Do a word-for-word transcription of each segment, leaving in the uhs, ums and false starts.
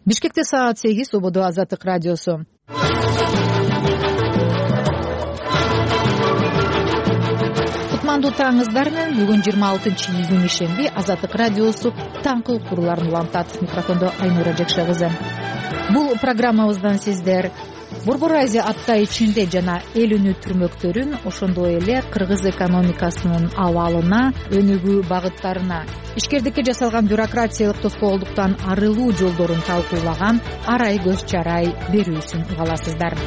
Бишкекте саат сегиз, Ободо Азаттык радиосу. Кутмандуу таңыңыздар менен бүгүн жыйырма алтынчы июнь ишемби Азаттык радиосу таңкы уктурууларын улантат. Микрофондо Айнура Жекше кызы. Бул программабыздан сиздер Борбор Азия апта ичинде жана эл үнү түрмөктөрүн, ошондой эле кыргыз экономикасынын абалына, өнүгүү багыттарына, ишкердикке жасалган бюрократиялык тоскоолдуктан арылуу жолдорун талкуулаган арай көз чарай берүүсүн уга аласыздар.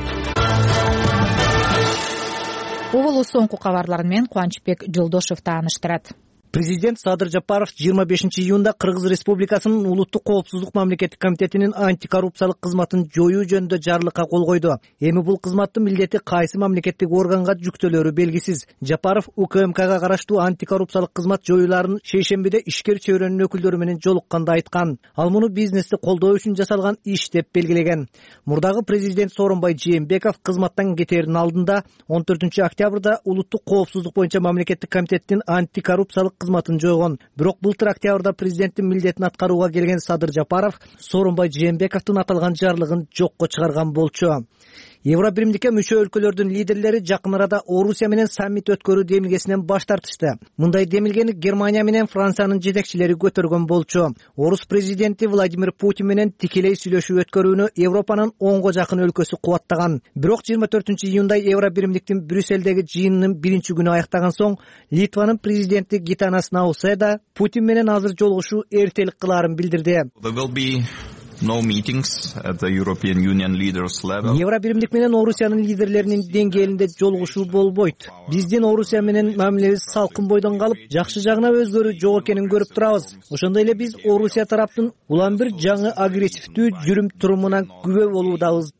Оболу соңку кабарлар менен Кубанычбек Жолдошев тааныштырат. Президент Садыр Жапаров жыйырма бешинчи июнда Кыргыз Республикасынын Улуттук коопсуздук мамлекеттик комитетинин антикоррупциялык кызматын жоюу жөнүндө жарлыкка кол койду. Эми бул кызматтын милдети кайсы мамлекеттик органга жүктөлөрү белгисиз. Жапаров УКМКга караштуу антикоррупциялык кызмат жоюуларын шейшембиде ишкер чөйрөнүн өкүлдөрү менен жолукканда айткан. Ал муну бизнести колдоо үчүн жасалган иш деп белгилеген. Мурдагы президент Сооронбай Жээнбеков кызматтан кетээринин алдында он төртүнчү октябрда Улуттук коопсуздук боюнча мамлекеттик комитеттин антикоррупциялык кызматын жойгон. Бирок былтыр октябрда президенттин милдетин аткарууга келген Садыр Жапаров Сооронбай Жээнбековдун аталган жарлыгын жокко чыгарган болчу. Евробиримдикке мүчө өлкөлөрдүн лидерлери жакын арада Орусия менен саммит өткөрүү демилгесинен баш тартышты. Мындай демилгени Германия менен Франциянын жетекчилери көтөргөн болчу. Орус президенти Владимир Путин менен тикелей сүйлөшүү өткөрүүнү Европанын онго жакын өлкөсү кубаттаган. Бирок жыйырма төртүнчү июнда Евробиримдиктин Брюссельдеги жыйынынын биринчи күнү аяктаган соң Литванын президенти Гитанас Науседа Путин менен азыр жолугушуу эртелик кылаарын билдирди. No meetings at the European Union leaders level. Евробиримдик менен Орусиянын лидерлеринин деңгээлинде жолугушуу болбойт. Биздин Орусия менен мамилебиз салкын бойдон калып, жакшы жагына өзгөрүү жок экенин көрүп турабыз. Ошондой эле биз Орусия тараптын улам бир жаңы агрессивдүү жүрүм турумуна күбө болуудабыз.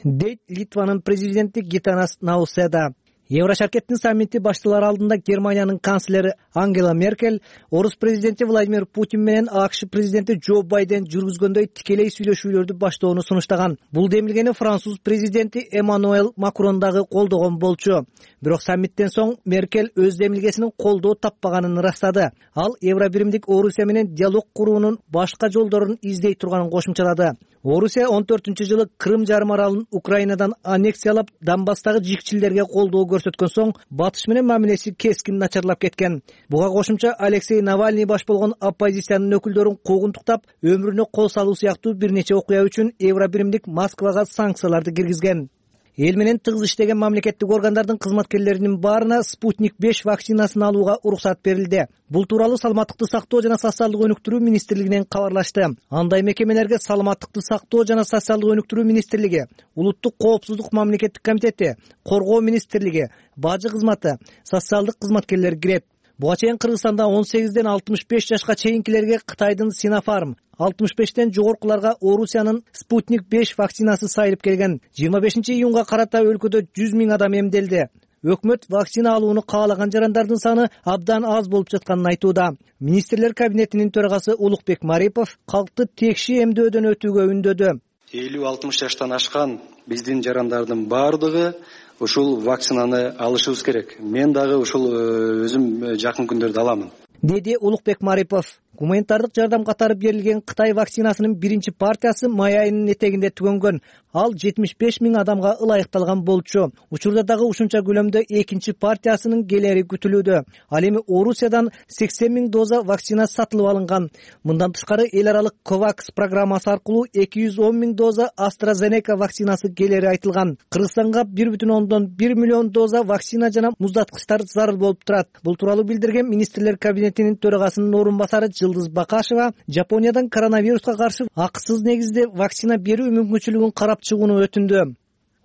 Дейт Литванын президенти Гитанас Науседа. Еврошаркеттин саммити башталар алдында Германиянын канцлери Ангела Меркель Орус президенти Владимир Путин менен АКШ президенти Джо Байден жүргүзгөндөй тикелей сүйлөшүүлөрдү баштоону сунуштаган. Бул демилгени француз президенти Эммануэл Макрон дагы колдогон болчу. Бирок саммиттен соң Меркель өз демилгесинин колдоо таппаганын ырастады. Ал Евробиримдик Орусия менен диалог куруунун башка жолдорун издей турганын кошумчалады. Орусия он төртүнчү жылы Крым жарым аралын Украинадан аннексиялап, Донбасстагы жикчилерге колдоо көрсөткөн соң батыш менен мамилеси кескин начарлап кеткен. Буга кошумча Алексей Навальный баш болгон оппозициянын өкүлдөрүн куугунтуктап, өмүрүнө кол салуу сыяктуу бир нече окуя үчүн Евробиримдик Москвага санкцияларды киргизген. Эл менен тыгыз иштеген мамлекеттик органдардын кызматкерлеринин баарына Спутник беш вакцинасын алууга уруксат берилди. Бул тууралуу Саламаттыкты сактоо жана социалдык өнүктүрүү министрлигинен кабарлашты. Андай мекемелерге Саламаттыкты сактоо жана социалдык өнүктүрүү министрлиги, Улуттук коопсуздук мамлекеттик комитети, Коргоо министрлиги, Бажы кызматы, социалдык кызматкерлер кирет. Буга чейин Кыргызстанда он сегизден алтымыш беш жашка чейинкилерге Кытайдын Синофарм, алтымыш бештен жогоркуларга Орусиянын Спутник беш вакцинасы сайылып келген. жыйырма бешинчи июнга карата өлкөдө жүз миң адам эмделди. Өкмөт вакцина алууну каалаган жарандардын саны абдан аз болуп жатканын айтууда. Министрлер кабинетинин төрагасы Улукбек Марипов калкты текши эмдөөдөн өтүүгө үндөдү. элүү алтымыш жаштан ашкан биздин жарандардын баардыгы ушул вакцинаны алышыбыз керек. Мен дагы ушул өзүм жакын күндөрдө аламын, деди Улукбек Марипов. Гуманитардык жардам катары берилген Кытай вакцинасынын биринчи партиясы май айынын этегинде түгөнгөн. Ал жетимиш беш миң адамга ылайыкталган болчу. Учурда дагы ушунча күлөмдө экинчи партиясынын келери күтүлүүдө. Ал эми Орусиядан сексен миң доза вакцина сатылып алынган. Мындан тышкары эл аралык Ковакс программасы аркылуу эки жүз он миң доза AstraZeneca вакцинасы келери айтылган. Кыргызстанга бир бүтүн ондон бир миллион доза вакцина жана муздаткычтар зарыл болуп турат. Бул тууралуу билдирген министрлер кабинетинин төрагасынын орун басары Жылдыз Бакашева Жапониядан коронавируска каршы акысыз негизде вакцина берүү мүмкүнчүлүгүн карап чыгууну өтүндү.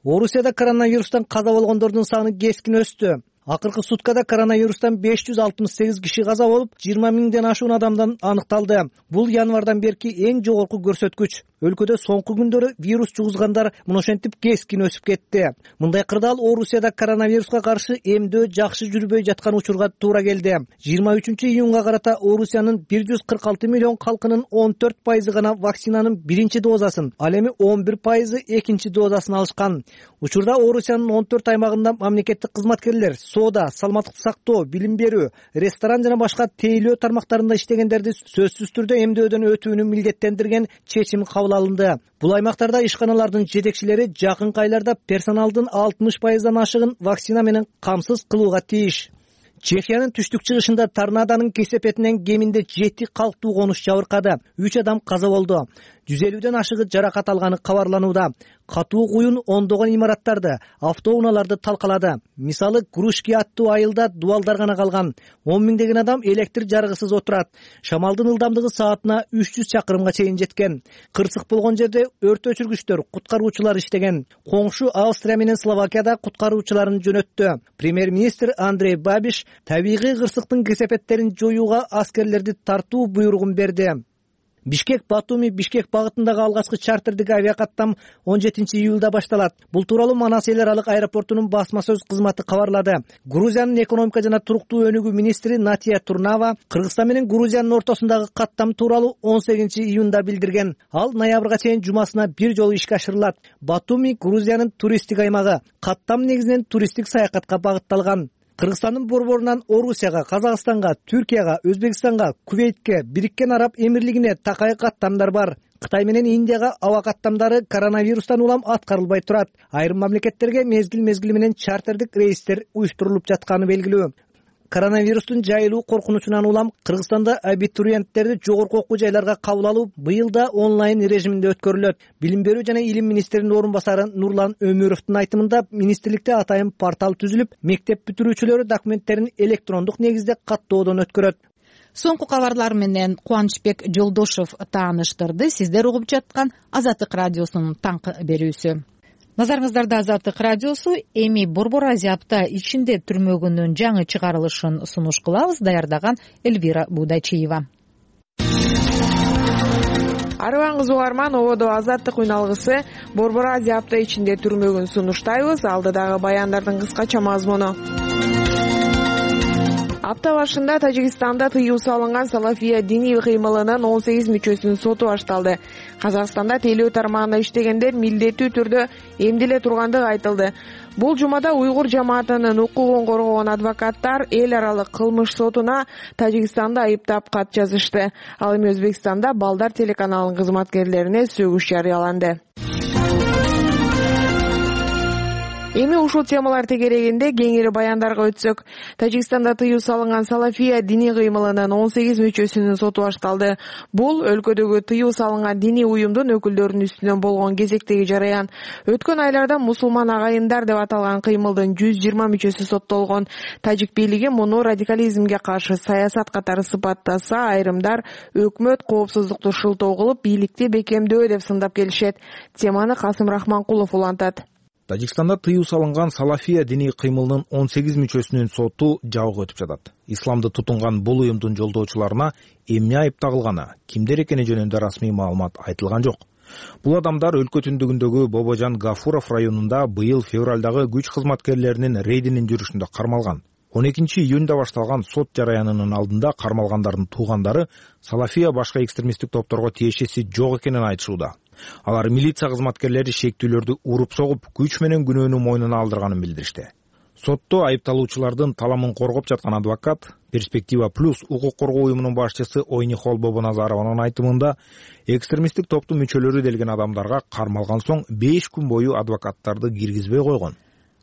Орусияда коронавирустан каза болгондордун саны кескин өстү. Акыркы суткада коронавирустан беш жүз алтымыш сегиз киши каза болуп, жыйырма миңден ашуун адамдан аныкталды. Бул январдан берки эң жогорку көрсөткүч. өлкөдө соңку күндөрү вирус жугузгандар мына ошентип кескин өсүп кетти. Мындай кырдаал Орусияда коронавируска каршы эмдөө жакшы жүрбөй жаткан учурга туура келди. жыйырма үчүнчү июнга карата Орусиянын бир жүз кырк алты миллион калкынын он төрт пайызы гана вакцинанын биринчи дозасын, ал эми он бир пайызы экинчи дозасын алышкан. Учурда Орусиянын он төрт аймагында мамлекеттик кызматкерлер, соода, саламаттыкты сактоо, билим берүү, ресторан жана башка тейлөө тармактарында иштегендерди сөзсүз түрдө эмдөөдөн өтүүнү милдеттендирген чечим кабыл алынды. Бул аймактарда ишканалардын жетекчилери жакынкы айларда персоналдын алтымыш пайыздан ашыгын вакцина менен камсыз кылууга тийиш. Чехиянын түштүк чыгышында торнадонун кесепетинен кеминде жети калктуу конуш жабыркады. үч адам каза болду. жүз элүүдөн ашыгы жаракат алганы кабарланууда. Катуу куюн ондогон имараттарды, автоунааларды талкалады. Мисалы, Грушки аттуу айылда дубалдар гана калган. он миңдеген адам электр жарыгысыз отурат. Шамалдын ылдамдыгы саатына үч жүз чакырымга чейин жеткен. Кырсык болгон жерде өрт өчүргүчтөр, куткаруучулар иштеген. Коңшу Австрия менен Словакияда куткаруучуларын жөнөттү. Премьер-министр Андрей Бабиш табигый кырсыктын кесепеттерин жоюуга аскерлерди тартуу буйругун берди. Бишкек-Батуми Бишкек багытындагы алгачкы чартердик авиакаттам он жетинчи июлда башталат. Бул тууралуу Манас эл аралык аэропортунун басма сөз кызматы кабарлады. Грузиянын экономика жана туруктуу өнүгүү министри Натия Турнава Кыргызстан менен Грузиянын ортосундагы каттам тууралуу он сегизинчи июнда билдирген. Ал ноябрга чейин жумасына бир жолу ишке ашырылат. Батуми Грузиянын туристтик аймагы. Каттам негизинен туристтик саякатка багытталган. Кыргызстандын борборунан Орусияга, Казакстанга, Түркияга, Өзбекстанга, Кувейтке, Бириккен Араб Эмирлигине такай каттамдар бар. Кытай менен Индияга аба каттамдары коронавирустан улам аткарылбай турат. Айрым мамлекеттерге мезгил-мезгили менен чартердик рейстер уюштурулуп жатканы белгилүү. Коронавирустун жайылуу коркунучунан улам Кыргызстанда абитуриенттерди жогорку окуу жайларга кабыл алуу быйыл да онлайн режиминде өткөрүлөт. Билим берүү жана илим министринин орун басары Нурлан Өмүровдун айтымында министрликте атайын портал түзүлүп, мектеп бүтүрүүчүлөрү документтерин электрондук негизде каттоодон өткөрөт. Соңку кабарлар менен Кубанычбек Жолдошов тааныштырды. Сиздер угуп жаткан Азаттык радиосунун таңкы берүүсү. Назарыңыздарда Азаттык радиосу. Эми Борбор Азия апта ичинде түрмөгүнүн жаңы чыгарылышын сунуш кылабыз. Даярдаган Эльвира Будайчиева. Арыбаңыз угарман, ободо Азаттык уйналгысы Борбор Азия апта ичинде түрмөгүн сунуштайбыз. Алдыдагы баяндардын кыскача мазмуну. Апта башында Тажикстанда тыюу салынган Салафия диний кыймылынын он сегиз мүчөсүнүн соту башталды. Казакстанда тейлөө тармагында иштегендер милдеттүү түрдө эмделе тургандыгы айтылды. Бул жумада уйгур жамаатынын укугун коргогон адвокаттар эл аралык кылмыш сотуна Тажикстанды айыптап кат жазышты. Ал эми Өзбекстанда Балдар телеканалынын кызматкерлерине сөгүш жарыяланды. Эми ушул темалар тегерегинде кеңири баяндарга өтсөк, Тажикстанда тыюу салынган Салафия диний кыймылынын он сегиз мүчөсүнүн соту башталды. Бул өлкөдөгү тыюу салынган диний уюмдун өкүлдөрүнүн үстүнөн болгон кезектеги жараян. Өткөн айларда мусулман агайындар деп аталган кыймылдын жүз жыйырма мүчөсү соттолгон. Тажик бийлиги муну радикализмге каршы саясат катары сыпаттаса, айрымдар өкмөт коопсуздукту шылтоо кылып, бийликти бекемдөө деп сындап келишет. Теманы Касым Рахманкулов улантат. Тажикстанда тыюу салынган Салафия диний кыймылынын он сегиз мүчөсүнүн соту жабык өтүп жатат. Исламды тутунган бул уюмдун жолдоочуларына эмне айып тагылганы, кимдер экени жөнүндө расмий маалымат айтылган жок. Бул адамдар өлкө түндүгүндөгү Бобожан Гафуров районунда быйыл февралдагы күч кызматкерлеринин рейдинин жүрүшүндө кармалган. он экинчи июнда башталган сот жараянынын алдында кармалгандардын туугандары Салафия башка экстремисттик топторго тиешеси жок экенин айтышууда. Алар милиция кызматкерлери шектүүлөрдү уруп согуп, күч менен күнөөнү мойнуна алдырганын билдиришти. Сотто айыпталуучулардын таламын коргоп жаткан адвокат Перспектива плюс укук коргоо уюмунун башчысы Ойнихол Бобоназарованын айтымында, экстремисттик топтун мүчөлөрү делген адамдарга кармалган соң беш күн бою адвокаттарды киргизбей койгон.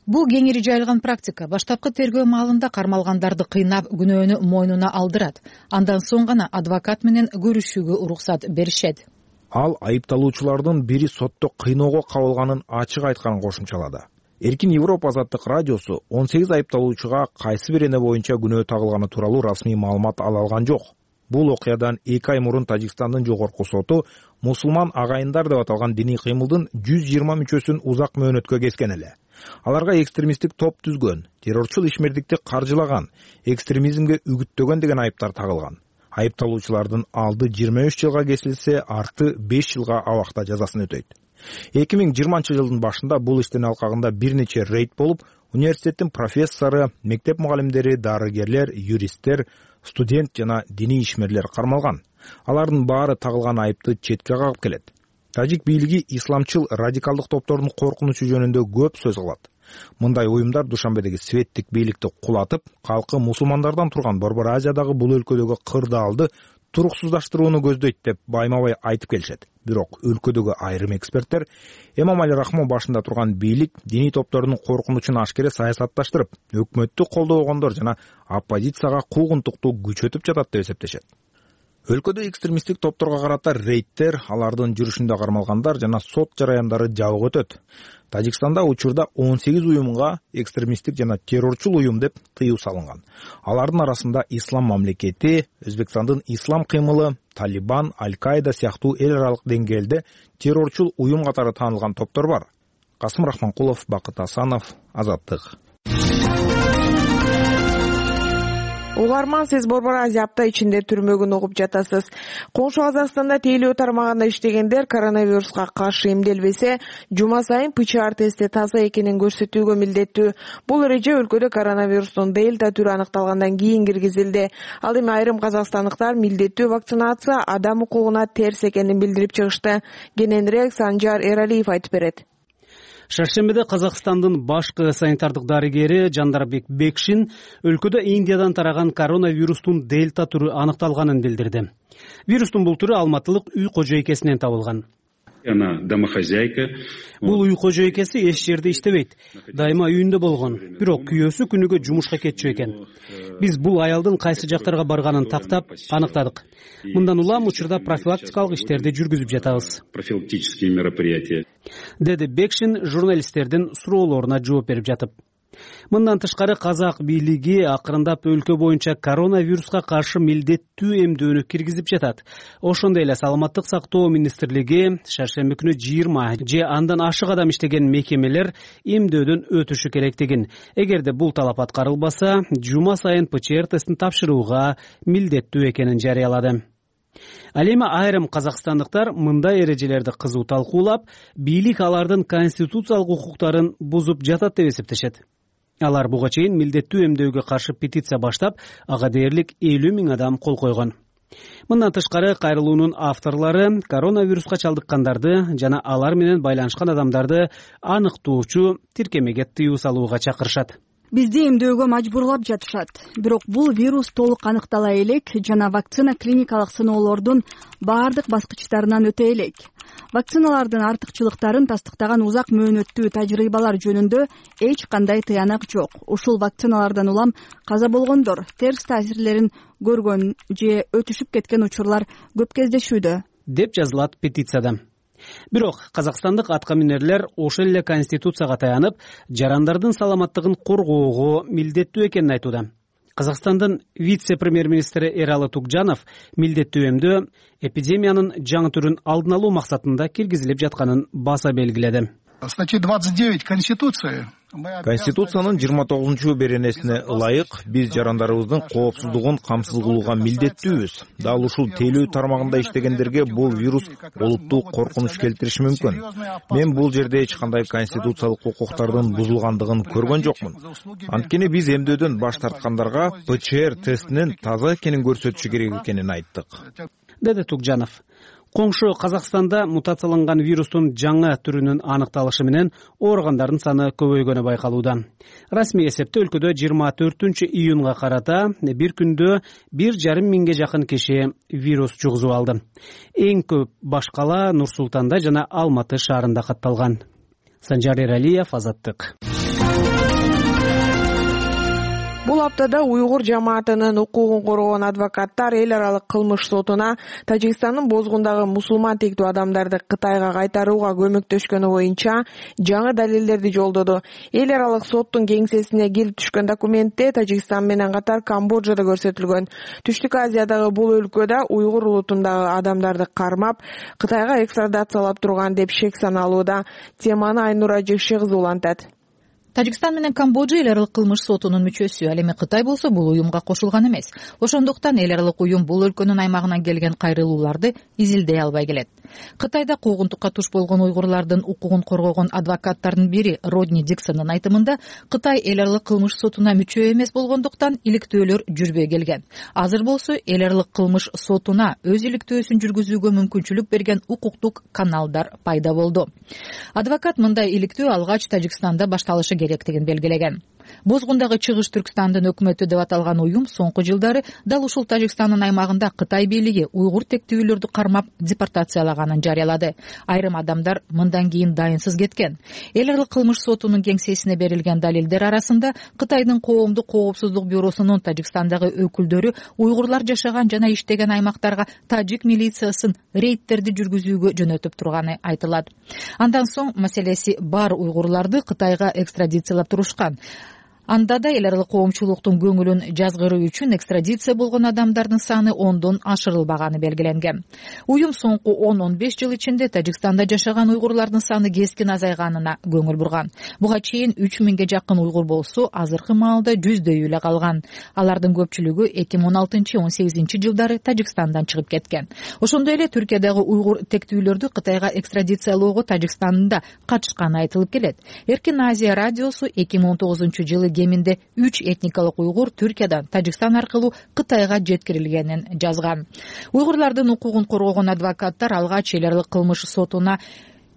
Бул кеңири жайылган практика. Баштапкы тергөө маалында кармалгандарды кыйнап, күнөөнү мойнуна алдырат. Андан соң гана адвокат менен көрүшүүгө уруксат беришет. Ал айыпталуучулардын бири сотто кыйноого кабылганын ачык айтканын кошумчалады. Эркин Европа Азаттык радиосу он сегиз айыпталуучуга кайсы бир эне боюнча күнөө тагылганы тууралуу расмий маалымат ала алган жок. Бул окуядан эки ай мурун Тажикстандын жогорку соту мусулман агайындар деп аталган диний кыймылдын жүз жыйырма мүчөсүн узак мөөнөткө кескен эле. Аларга экстремисттик топ түзгөн, террорчул ишмердикти каржылаган, экстремизмге үгүттөгөн деген айыптар тагылган. Айыпталуучулардын алды жыйырма үч жылга кесилсе, арты беш жылга абакта жазасын өтөйт. эки миң жыйырманчы жылдын башында бул иштин алкагында бир нече рейд болуп, университеттин профессору, мектеп мугалимдери, дарыгерлер, юристтер, студент жана диний ишмерлер кармалган. Алардын баары тагылган айыпты четке кагып келет. Тажик бийлиги исламчыл радикалдык топтордун коркунучу жөнүндө көп сөз кылат. Мындай уюмдар Душанбедеги светтик бийликти кулатып, калкы мусулмандардан турган Борбор Азиядагы бул өлкөдөгү кырдаалды туруксуздаштырууну көздөйт деп байма-бай айтып келишет. Бирок өлкөдөгү айрым эксперттер Эмомали Рахмон башында турган бийлик диний топтордун коркунучун ашкере саясатташтырып, өкмөттү колдобогондор жана оппозицияга куугунтукту күчөтүп жатат деп эсептешет. Өлкөдө экстремисттик топторго карата рейдтер, алардын жүрүшүндө кармалгандар жана сот жараяндары жабык өтөт. Тажикстанда учурда он сегиз уюмга экстремисттик жана террорчул уюм деп тыюу салынган. Алардын арасында Ислам мамлекети, Өзбекстандын ислам кыймылы, Талибан, Аль-Каида сыяктуу эл аралык деңгээлде террорчул уюм катары таанылган топтор бар. Касым Рахманкулов, Бакыт Асанов, Азаттык. Угарман, сиз Борбор Азия апта ичинде түрмөгүн угуп жатасыз. Коңшу Казакстанда тейлөө тармагында иштегендер коронавируска каршы эмделбесе, жума сайын ПЦР тести таза экенин көрсөтүүгө милдеттүү. Бул эреже өлкөдө коронавирустун дельта түрү аныкталгандан кийин киргизилди. Ал эми айрым казакстандыктар милдеттүү вакцинация адам укугуна терс экенин билдирип чыгышты. Кененирээк Санжар Эралиев айтып берет. Шаршембиде Казакстандын башкы санитардык дарыгери Жандарбек Бекшин өлкөдө Индиядан тараган коронавирустун дельта түрү аныкталганын билдирди. Вирустун бул түрү алматылык үй кожойкесинен табылган. Она домохозяйка. Бул үй кожойкеси эч жерде иштебейт. Дайыма үйүндө болгон. Бирок күйөөсү күнүгө жумушка кетчү экен. Биз бул аялдын кайсы жактарга барганын тактап аныктадык. Мындан улам учурда профилактикалык иштерди жүргүзүп жатабыз. Профилактические мероприятия. Деди Бекшин журналисттердин суроолоруна жооп берип жатып. Мындан тышкары казак бийлиги акырындап өлкө боюнча коронавируска каршы милдеттүү эмдөөнү киргизип жатат. Ошондой эле Саламаттык сактоо министрлиги шаршемби күнү жыйырма же андан ашык адам иштеген мекемелер эмдөөдөн өтүшү керектигин, эгерде бул талап аткарылбаса, жума сайын ПЦР тестин тапшырууга милдеттүү экенин жарыялады. Ал эми айрым казакстандыктар мындай эрежелерди кызуу талкуулап, бийлик алардын конституциялык укуктарын бузуп жатат деп эсептешет. Алар буга чейин милдеттүү эмдөөгө каршы петиция баштап, ага дээрлик элүү миң адам кол койгон. Мындан тышкары кайрылуунун авторлору коронавируска чалдыккандарды жана алар менен байланышкан адамдарды аныктоочу тиркемеге тыюу салууга чакырышат. Бизди эмдөөгө мажбурлап жатышат. Бирок бул вирус толук аныктала элек жана вакцина клиникалык сыноолордун баардык баскычтарынан өтө элек. Вакциналардын артыкчылыктарын тастыктаган узак мөөнөттүү тажрыйбалар жөнүндө эч кандай тыянак жок. Ушул вакциналардан улам каза болгондор, терс таасирлерин көргөн же өтүшүп кеткен учурлар көп кездешүүдө, деп жазылат петицияда. Бирок казакстандык аткаминерлер ошол эле конституцияга таянып, жарандардын саламаттыгын коргоого милдеттүү экенин айтууда. Казакстандын вице-премьер-министри Эралы Тукжанов милдеттүү эмдөө эпидемиянын жаңы түрүн алдын алуу максатында киргизилип жатканын баса белгиледи. Статья двадцать девять Конституции. Конституциянын жыйырма тогузунчу беренесине ылайык биз жарандарыбыздын коопсуздугун камсыз кылууга милдеттүүбүз. Дал ушул тейлөө тармагында иштегендерге бул вирус олуттуу коркунуч келтириши мүмкүн. Мен бул жерде эч кандай конституциялык укуктардын бузулгандыгын көргөн жокмун. Анткени биз эмдөөдөн баш тарткандарга ПЦР тестинин таза экенин көрсөтүшү керек экенин айттык, деди Тукжанов. Коңшу Казакстанда мутацияланган вирустун жаңы түрүнүн аныкталышы менен ооругандардын саны көбөйгөнү байкалууда. Расмий эсепте өлкөдө жыйырма төртүнчү июнга карата бир күндө бир жарым миңге жакын киши вирус жугузуп алды. Эң көп баш кала Нур Султанда жана Алматы шаарында катталган. Санжар Эралиев, Азаттык. Бул аптада уйгур жамаатынын укугун коргоон адвокаттар эл аралык кылмыш сотуна Тажикстандын бозгундагы мусулман тектүү адамдарды Кытайга кайтарууга көмөктөшкөнү боюнча жаңы далилдерди жолдоду. Эл аралык соттун кеңсесине келип түшкөн документте Тажикстан менен катар Камбоджа да көрсөтүлгөн. Түштүк Азиядагы бул өлкөдө уйгур улутундагы адамдарды кармап, Кытайга экстрадациялап турган деп шек саналууда. Теманы Айнура Жекши кызы улантат. Тажикстан менен Камбоджа эл аралык кылмыш сотунун мүчөсү. Ал эми Кытай болсо бул уюмга кошулган эмес. Ошондуктан эл аралык уюм бул өлкөнүн аймагынан келген кайрылууларды изилдей албай келет. Кытайда куугунтукка туш болгон уйгурлардын укугун коргогон адвокаттардын бири Родни Диксондун айтымында Кытай эл аралык кылмыш сотуна мүчө эмес болгондуктан иликтөөлөр жүрбөй келген. Азыр болсо эл аралык кылмыш сотуна өз иликтөөсүн жүргүзүүгө мүмкүнчүлүк берген укуктук каналдар пайда болду. Адвокат мындай иликтөө алгач Тажикстанда башталышы керектигин белгилеген. Бозгундагы Чыгыш Түркстандын өкмөтү деп аталган уюм соңку жылдары дал ушул Тажикстандын аймагында Кытай бийлиги уйгур тектүүлөрдү кармап депортациялаганын жарыялады. Айрым адамдар мындан кийин дайынсыз кеткен. Эл аралык кылмыш сотунун кеңсесине берилген далилдер арасында Кытайдын коомдук коопсуздук бюросунун Тажикстандагы өкүлдөрү уйгурлар жашаган жана иштеген аймактарга тажик милициясын рейдтерди жүргүзүүгө жөнөтүп турганы айтылат. Андан соң маселеси бар уйгурларды Кытайга экстрадициялап турушкан. Анда да эл аралык коомчулуктун көңүлүн жазгыруу үчүн экстрадиция болгон адамдардын саны ондон ашырылбаганы белгиленген. Уюм соңку он он беш жыл ичинде Тажикстанда жашаган уйгурлардын саны кескин азайганына көңүл бурган. Буга чейин үч миңге жакын уйгур болсо, азыркы маалда жүздөй эле калган. Алардын көпчүлүгү эки миң он алтынчы он сегизинчи жылдары Тажикстандан чыгып кеткен. Ошондой эле Түркиядагы уйгур тектүүлөрдү Кытайга экстрадициялоого Тажикстанда катышканы айтылып келет. Эркин Азия радиосу эки миң он тогузунчу жылы кеминде үч этникалык уйгур Түркиядан Тажикстан аркылуу Кытайга жеткирилгенин жазган. Уйгурлардын укугун коргогон адвокаттар алгач эл аралык кылмыш сотуна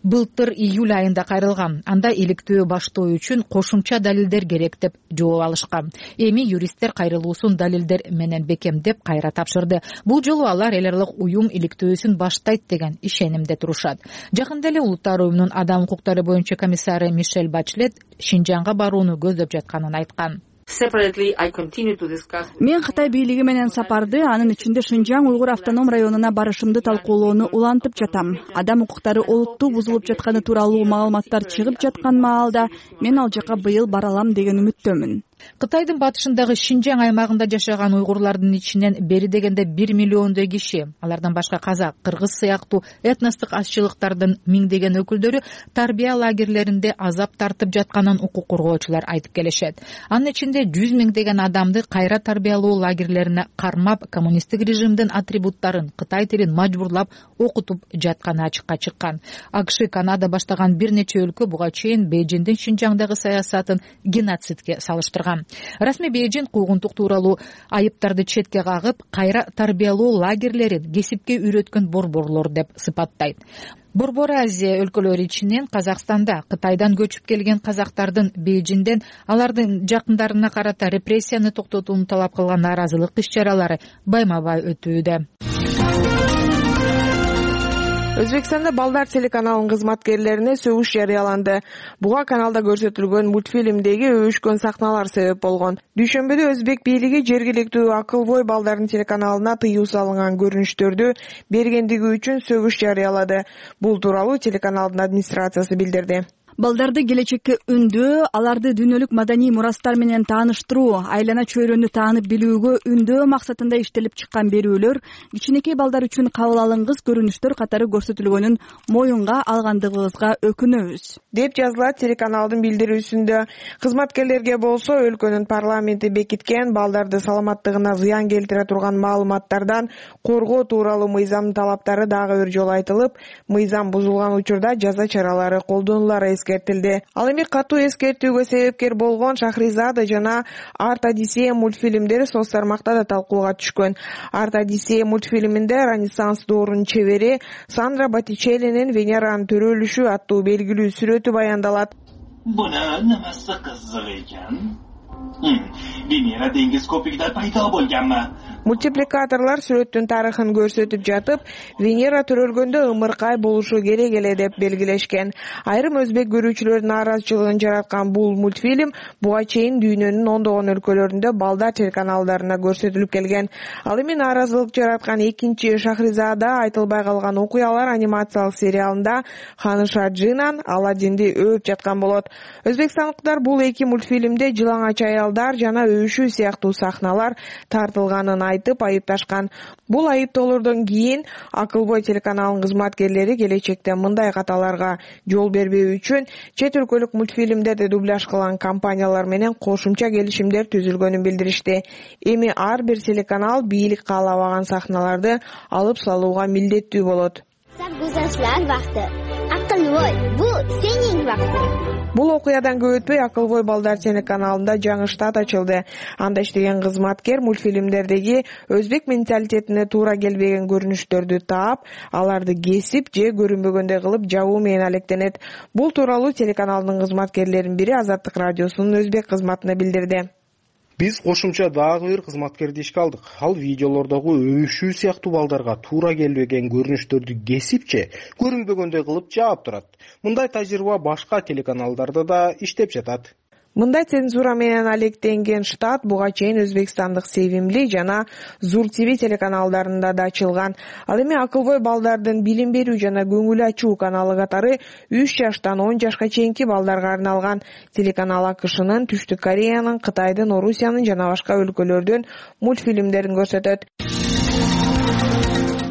былтыр июль айында кайрылган. Анда иликтөө баштоо үчүн кошумча далилдер керек деп жооп алышкан. Эми юристтер кайрылуусун далилдер менен бекемдеп кайра тапшырды. Бул жолу алар эл аралык уюм иликтөөсүн баштайт деген ишенимде турушат. Жакында эле Улуттар уюмунун адам укуктары боюнча комиссары Мишель Бачлет Шинжанга барууну көздөп жатканын айткан. Мен Кытай бийлиги менен сапарды, анын ичинде Шинжаң уйгур автоном районуна барышымды талкуулоону улантып жатам. Адам укуктары олуттуу бузулуп жатканы тууралуу маалыматтар чыгып жаткан маалда мен ал жака быйыл бара алам деген үмүттөмүн. Кытайдын батышындагы Шинжаң аймагында жашаган уйгурлардын ичинен бери дегенде бир миллиондой киши, алардан башка казак, кыргыз сыяктуу этностук азчылыктардын миңдеген өкүлдөрү тарбия лагерлеринде азап тартып жатканын укук коргоочулар айтып келишет. Анын ичинде жүз миңдеген адамды кайра тарбиялоо лагерлерине кармап, коммунисттик режимдин атрибуттарын, Кытай тилин мажбурлап окутуп жатканы ачыкка чыккан. АКШ, Канада баштаган бир нече өлкө буга чейин Бейжиңдин Шинжаңдагы саясатын геноцидке салыштырган. Расмий Бейжиң куугунтук тууралуу айыптарды четке кагып, кайра тарбиялоо лагерлерин кесипке үйрөткөн борборлор деп сыпаттайт. Борбор Азия өлкөлөрү ичинен Казакстанда Кытайдан көчүп келген казактардын Бейжиңден алардын жакындарына карата репрессияны токтотууну талап кылган нааразылык иш-чаралары байма-бай өтүүдө. Өзбекстанда Балдар телеканалынын кызматкерлерине сөгүш жарыяланды. Буга каналда көрсөтүлгөн мультфильмдеги өбүшкөн сахналар себеп болгон. Дүйшөмбүдө Өзбек бийлиги жергиликтүү Акылбой Балдардын телеканалына тыюу салынган көрүнүштөрдү бергендиги үчүн сөгүш жарыялады. Бул тууралуу телеканалдын администрациясы билдирди. Балдарды келечекке үндөө, аларды дүйнөлүк маданий мурастар менен тааныштыруу, айлана чөйрөнү таанып билүүгө үндөө максатында иштелип чыккан берүүлөр кичинекей балдар үчүн кабыл алынгыс көрүнүштөр катары көрсөтүлгөнүн моюнга алгандыгыбызга өкүнөбүз, деп жазылат телеканалдын билдирүүсүндө. Кызматкерлерге болсо өлкөнүн парламенти бекиткен балдарды саламаттыгына зыян келтире турган маалыматтардан коргоо тууралуу мыйзамдын талаптары дагы бир жолу айтылып, мыйзам бузулган учурда жаза чаралары колдонулары эскертилди. Ал эми катуу эскертүүгө себепкер болгон Шахризада жана Арт Одиссея мультфильмдери соц тармакта да талкууга түшкөн. Арт Одиссея мультфильминде Ренессанс доорунун чебери Сандра Боттичеллинин Венеранын төрөлүшү аттуу белгилүү сүрөтү баяндалат. Буна nimasi qiziq ekan? Venera dengiz ko'pigida paydo bo'lganmi? Мультипликаторлор сүрөттүн тарыхын көрсөтүп жатып, Венера төрөлгөндө ымыркай болушу керек эле деп белгилешкен. Айрым өзбек көрүүчүлөрдүн нааразычылыгын жараткан бул мультфильм буга чейин дүйнөнүн ондогон өлкөлөрүндө Балдар телеканалдарына көрсөтүлүп келген. Ал эми нааразылык жараткан экинчи Шахризада айтылбай калган окуялар анимациялык сериалында Ханыша Джинан Аладдинди өөрүп жаткан болот. Өзбекстандыктар бул эки мультфильмде жылаңач аялдар жана өбүшүү сыяктуу сахналар тартылганын айтып айыпташкан. Бул айыптоолордон кийин Акылбой телеканалынын кызматкерлери келечекте мындай каталарга жол бербөө үчүн чет өлкөлүк мультфильмдерди дубляж кылган компаниялар менен кошумча келишимдер түзүлгөнүн билдиришти. Эми ар бир телеканал бийлик каалабаган сахналарды алып салууга милдеттүү болот. Sarguzashtlar vaqti. Aqlvoy, bu sening vaqting. Бул окуядан көп өтпөй Акылбой балдар телеканалында жаңы штат ачылды. Анда иштеген кызматкер мультфильмдердеги өзбек менталитетине туура келбеген көрүнүштөрдү таап, аларды кесип же көрүнбөгөндөй кылып жабуу менен алектенет. Бул тууралуу телеканалдын кызматкерлеринин бири Азаттык радиосунун өзбек кызматына билдирди. Биз кошумча дагы бир кызматкерди ишке алдык. Ал видеолордогу өбүшүү сыяктуу балдарга туура келбеген көрүнүштөрдү кесип же көрүнбөгөндөй кылып жаап турат. Мындай тажрыйба башка телеканалдарда да иштеп жатат. Мындай цензура менен алектенген штат буга чейин Өзбекстандык Севимли жана Зур ТВ телеканалдарында да ачылган. Ал эми Акылбой балдардын билим берүү жана көңүл ачуу каналы катары үч жаштан он жашка чейинки балдарга арналган. Телеканал АКШнын, Түштүк Кореянын, Кытайдын, Орусиянын жана башка өлкөлөрдүн мультфильмдерин көрсөтөт.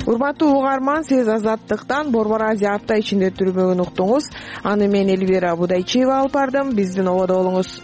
Урматтуу угарман, сиз Азаттыктан Борбор Азия апта ичинде түрмөгүн уктуңуз. Аны мен Эльвира Будайчиева алып бардым. Биздин ободо болуңуз.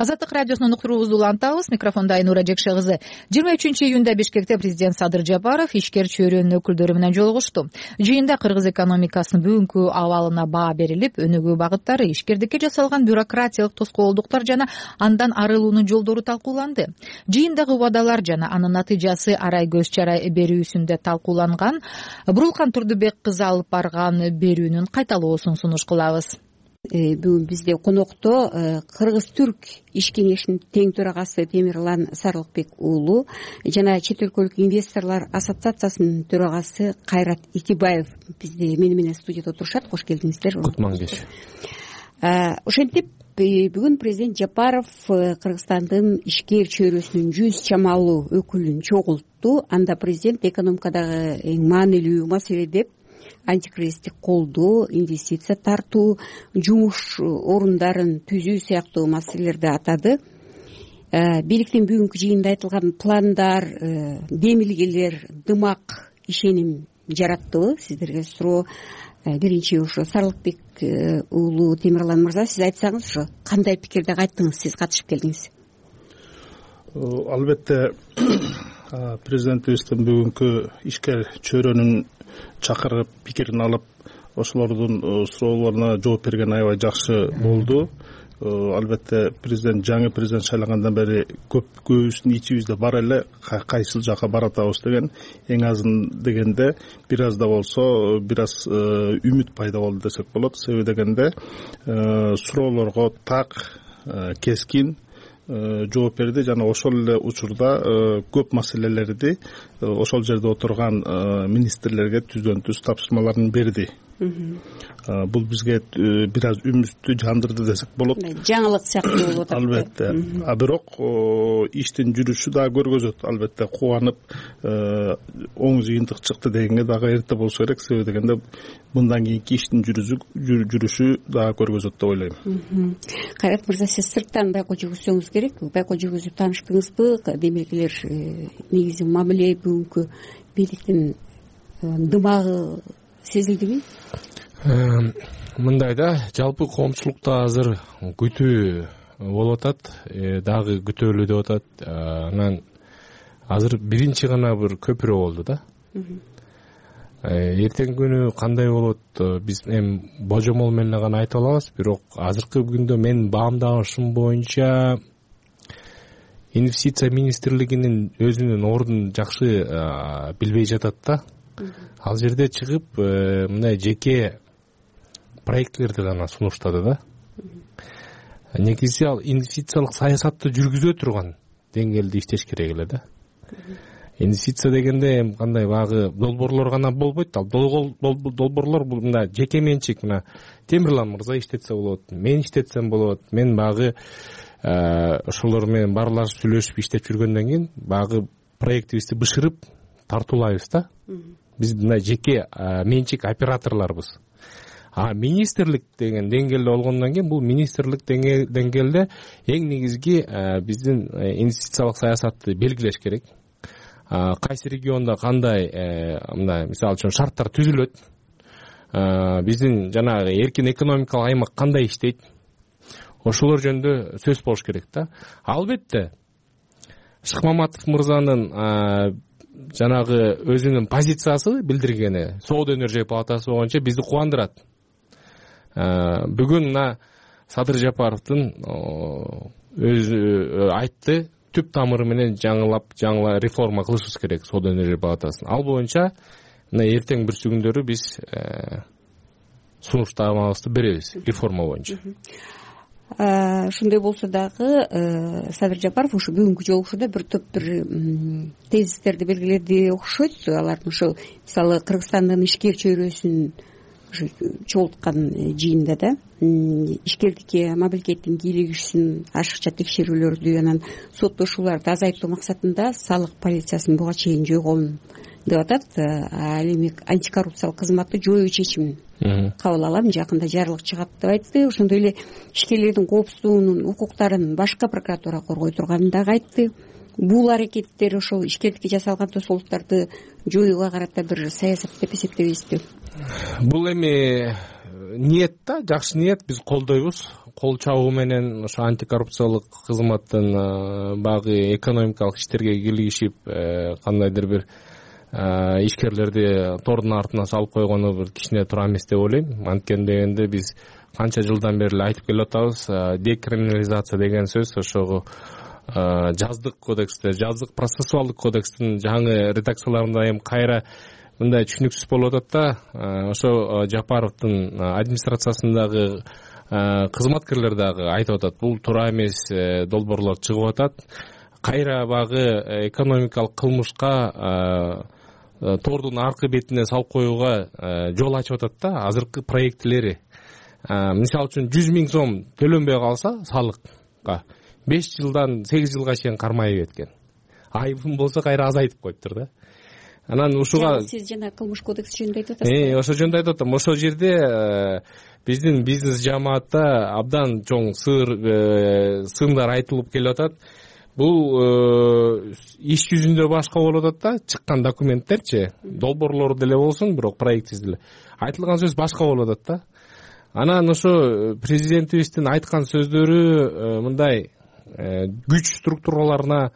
Азаттык радиосунун уктуруубузду улантабыз. Микрофондо Айнура Жекше кызы. жыйырма үчүнчү июнда Бишкекте президент Садыр Жапаров ишкер чөйрөнүн өкүлдөрү менен жолугушту. Жыйында кыргыз экономикасынын бүгүнкү абалына баа берилип, өнүгүү багыттары, ишкердикке жасалган бюрократиялык тоскоолдуктар жана андан арылуунун жолдору талкууланды. Жыйындагы убадалар жана анын натыйжасы арай көз чарай берүүсүндө талкууланган. Бурулкан Турдубек кызы алып барган берүүнүн кайталоосун сунуш кылабыз. Бүгүн бизде конокто Кыргыз-Түрк иш кеңешинин тең төрагасы Темирлан Сарылыкбек уулу жана чет өлкөлүк инвесторлор ассоциациясынын төрагасы Кайрат Итибаев бизде мени менен студияда отурушат. Кош келдиңиздер. Кутман кеш. Ошентип бүгүн президент Жапаров Кыргызстандын ишкер чөйрөсүнүн жүз чамалуу өкүлүн чогултту. Анда президент экономикадагы эң маанилүү маселе деп антикризистик колдоо, инвестиция тартуу, жумуш орундарын түзүү сыяктуу маселелерди атады. Бийликтин бүгүнкү жыйында айтылган пландар, демилгелер, дымак ишеним жараттыбы? Сиздерге суроо. Биринчи ошо Сарылыкбек уулу Темирлан мырза, сиз айтсаңыз, ошо кандай пикирде кайттыңыз, сиз катышып келдиңиз? Албетте президентибиздин бүгүнкү ишкер чөйрөнүн чакырып пикирин алып, ошолордун суроолоруна жооп берген аябай жакшы болду. Албетте президент жаңы президент шайлангандан бери көп көбүбүздүн ичибизде бар эле кайсыл жака баратабыз деген, эң азын дегенде бир аз да болсо бир аз үмүт пайда болду десек болот. Себеби дегенде суроолорго так, кескин жооп берди жана ошол эле учурда көп маселелерди ошол жерде отурган министрлерге түздөн түз тапшырмаларын берди. Бул бизге бир аз үмүттү жандырды десек болот. Жаңылык сыяктуу болуп атат. Албетте. А бирок иштин жүрүшү дагы көргөзөт. Албетте кубанып оң жыйынтык чыкты дегенге дагы эрте болсо керек. Себеби дегенде мындан кийинки иштин жүрүшү дагы көргөзөт деп ойлойм. Кайрат мырза, сиз сырттан байкоо жүргүзсөңүз керек. Байкоо жүргүзүп тааныштыңызбы? Демилгелер, негизи мамиле бүгүнкү бийликтин дымагы сезилдиби? Мындай да, жалпы коомчулукта азыр күтүү болуп атат, дагы күтөлүү деп атат. Анан азыр биринчи гана бир көпүрө болду да. Эртең күнү кандай болот, биз эми божомол менен гана айта алабыз, бирок азыркы күндө мен баамдашым боюнча инвестиция министрлигинин өзүнүн ордун жакшы билбей жатат да. Ал жерде чыгып мындай жеке проектлерди гана сунуштады да. Негизи ал инвестициялык саясатты жүргүзө турган деңгээлде иштеш керек эле да. Инвестиция дегенде кандай багы долбоорлор гана болбойт. Ал долбоорлор бул мына жеке менчик, мына Темирлан мырза иштетсе болот, мен иштетсем болот. Мен багы ошолор менен баарлашып сүйлөшүп иштеп жүргөндөн кийин багы проектибизди бышырып тартуулайбыз да. Биз мына жеке менчик операторлорбуз. а министрлик деген деңгээлде болгондон кийин бул министрлик деңгээлде эң негизги биздин инвестициялык саясатты белгилеш керек. Кайсы региондо кандай мындай мисалы үчүн шарттар түзүлөт, биздин жанагы эркин экономикалык аймак кандай иштейт, ошолор жөнүндө сөз болуш керек да. Албетте Шыкмаматов мырзанын жанагы өзүнүн позициясы билдиргени Соода өнөр палатасы боюнча бизди кубандырат. Бүгүн мына Садыр Жапаровдун өзү айтты, түп тамыры менен жаңылап жаңыла реформа кылышыбыз керек Соода өнөр палатасын. Ал боюнча мына эртең бүрсү күндөрү биз сунуштамабызды беребиз реформа боюнча. Ошондой болсо дагы Садыр Жапаров ушу бүгүнкү жолугушууда бир топ бир тезистерди белгиледи окшойт. Алардын ошо мисалы Кыргызстандын ишкер чөйрөсүн чогулткан жыйында да ишкердикке мамлекеттин кийлигишин ашыкча текшерүүлөрдү анан соттошууларды азайтуу максатында салык полициясын буга чейин жойгон деп атат. Ал эми антикоррупциялык кызматты жоюу чечимин кабыл алам, жакында жарлык чыгат деп айтты. Ошондой эле ишкерлердин коопсуздугунун укуктарын башка прокуратура коргой турганын дагы айтты. Бул аракеттер ошол ишкердикке жасалган тосолдуктарды жоюуга карата бир саясат деп эсептебейсизби? Бул эми ниет да, жакшы ниет, биз колдойбуз. Кол чабуу менен ошо антикоррупциялык кызматтын багы экономикалык иштерге кийлигишип кандайдыр бир ишкерлерди тордун артына салып койгону бир кичине туура эмес деп ойлойм. Анткени дегенде биз канча жылдан бери эле айтып келип атабыз, декриминализация деген сөз ошого жаздык кодексте, жаздык процессуалдык кодекстин жаңы редакцияларында эми кайра мындай түшүнүксүз болуп атат да. Ошо Жапаровдун администрациясындагы кызматкерлер дагы айтып атат, бул туура эмес долбоорлор чыгып атат. Кайра багы экономикалык кылмышка тордун аркы бетине салып коюуга жол ачып атат да азыркы проектилери. Мисалы үчүн жүз миң сом төлөнбөй калса салыкка беш жылдан сегиз жылга чейин кармайып кеткен. Айыбым болсо кайра азайтып коюптур да. Анан ушуга сиз жана кылмыш кодекси жөнүндө айтып атасыз. Э, ошо жөнүндө айтып атам. Ошол жерде биздин бизнес жамаатта абдан чоң сыр сындар айтылып келип атат. Бул иш жүзүндө башка болуп атат да, чыккан документтерчи, долбоорлор деле болсун, бирок проектсиз деле айтылган сөз башка болуп атат да. Анан ошо президентибиздин айткан сөздөрү мындай күч структураларына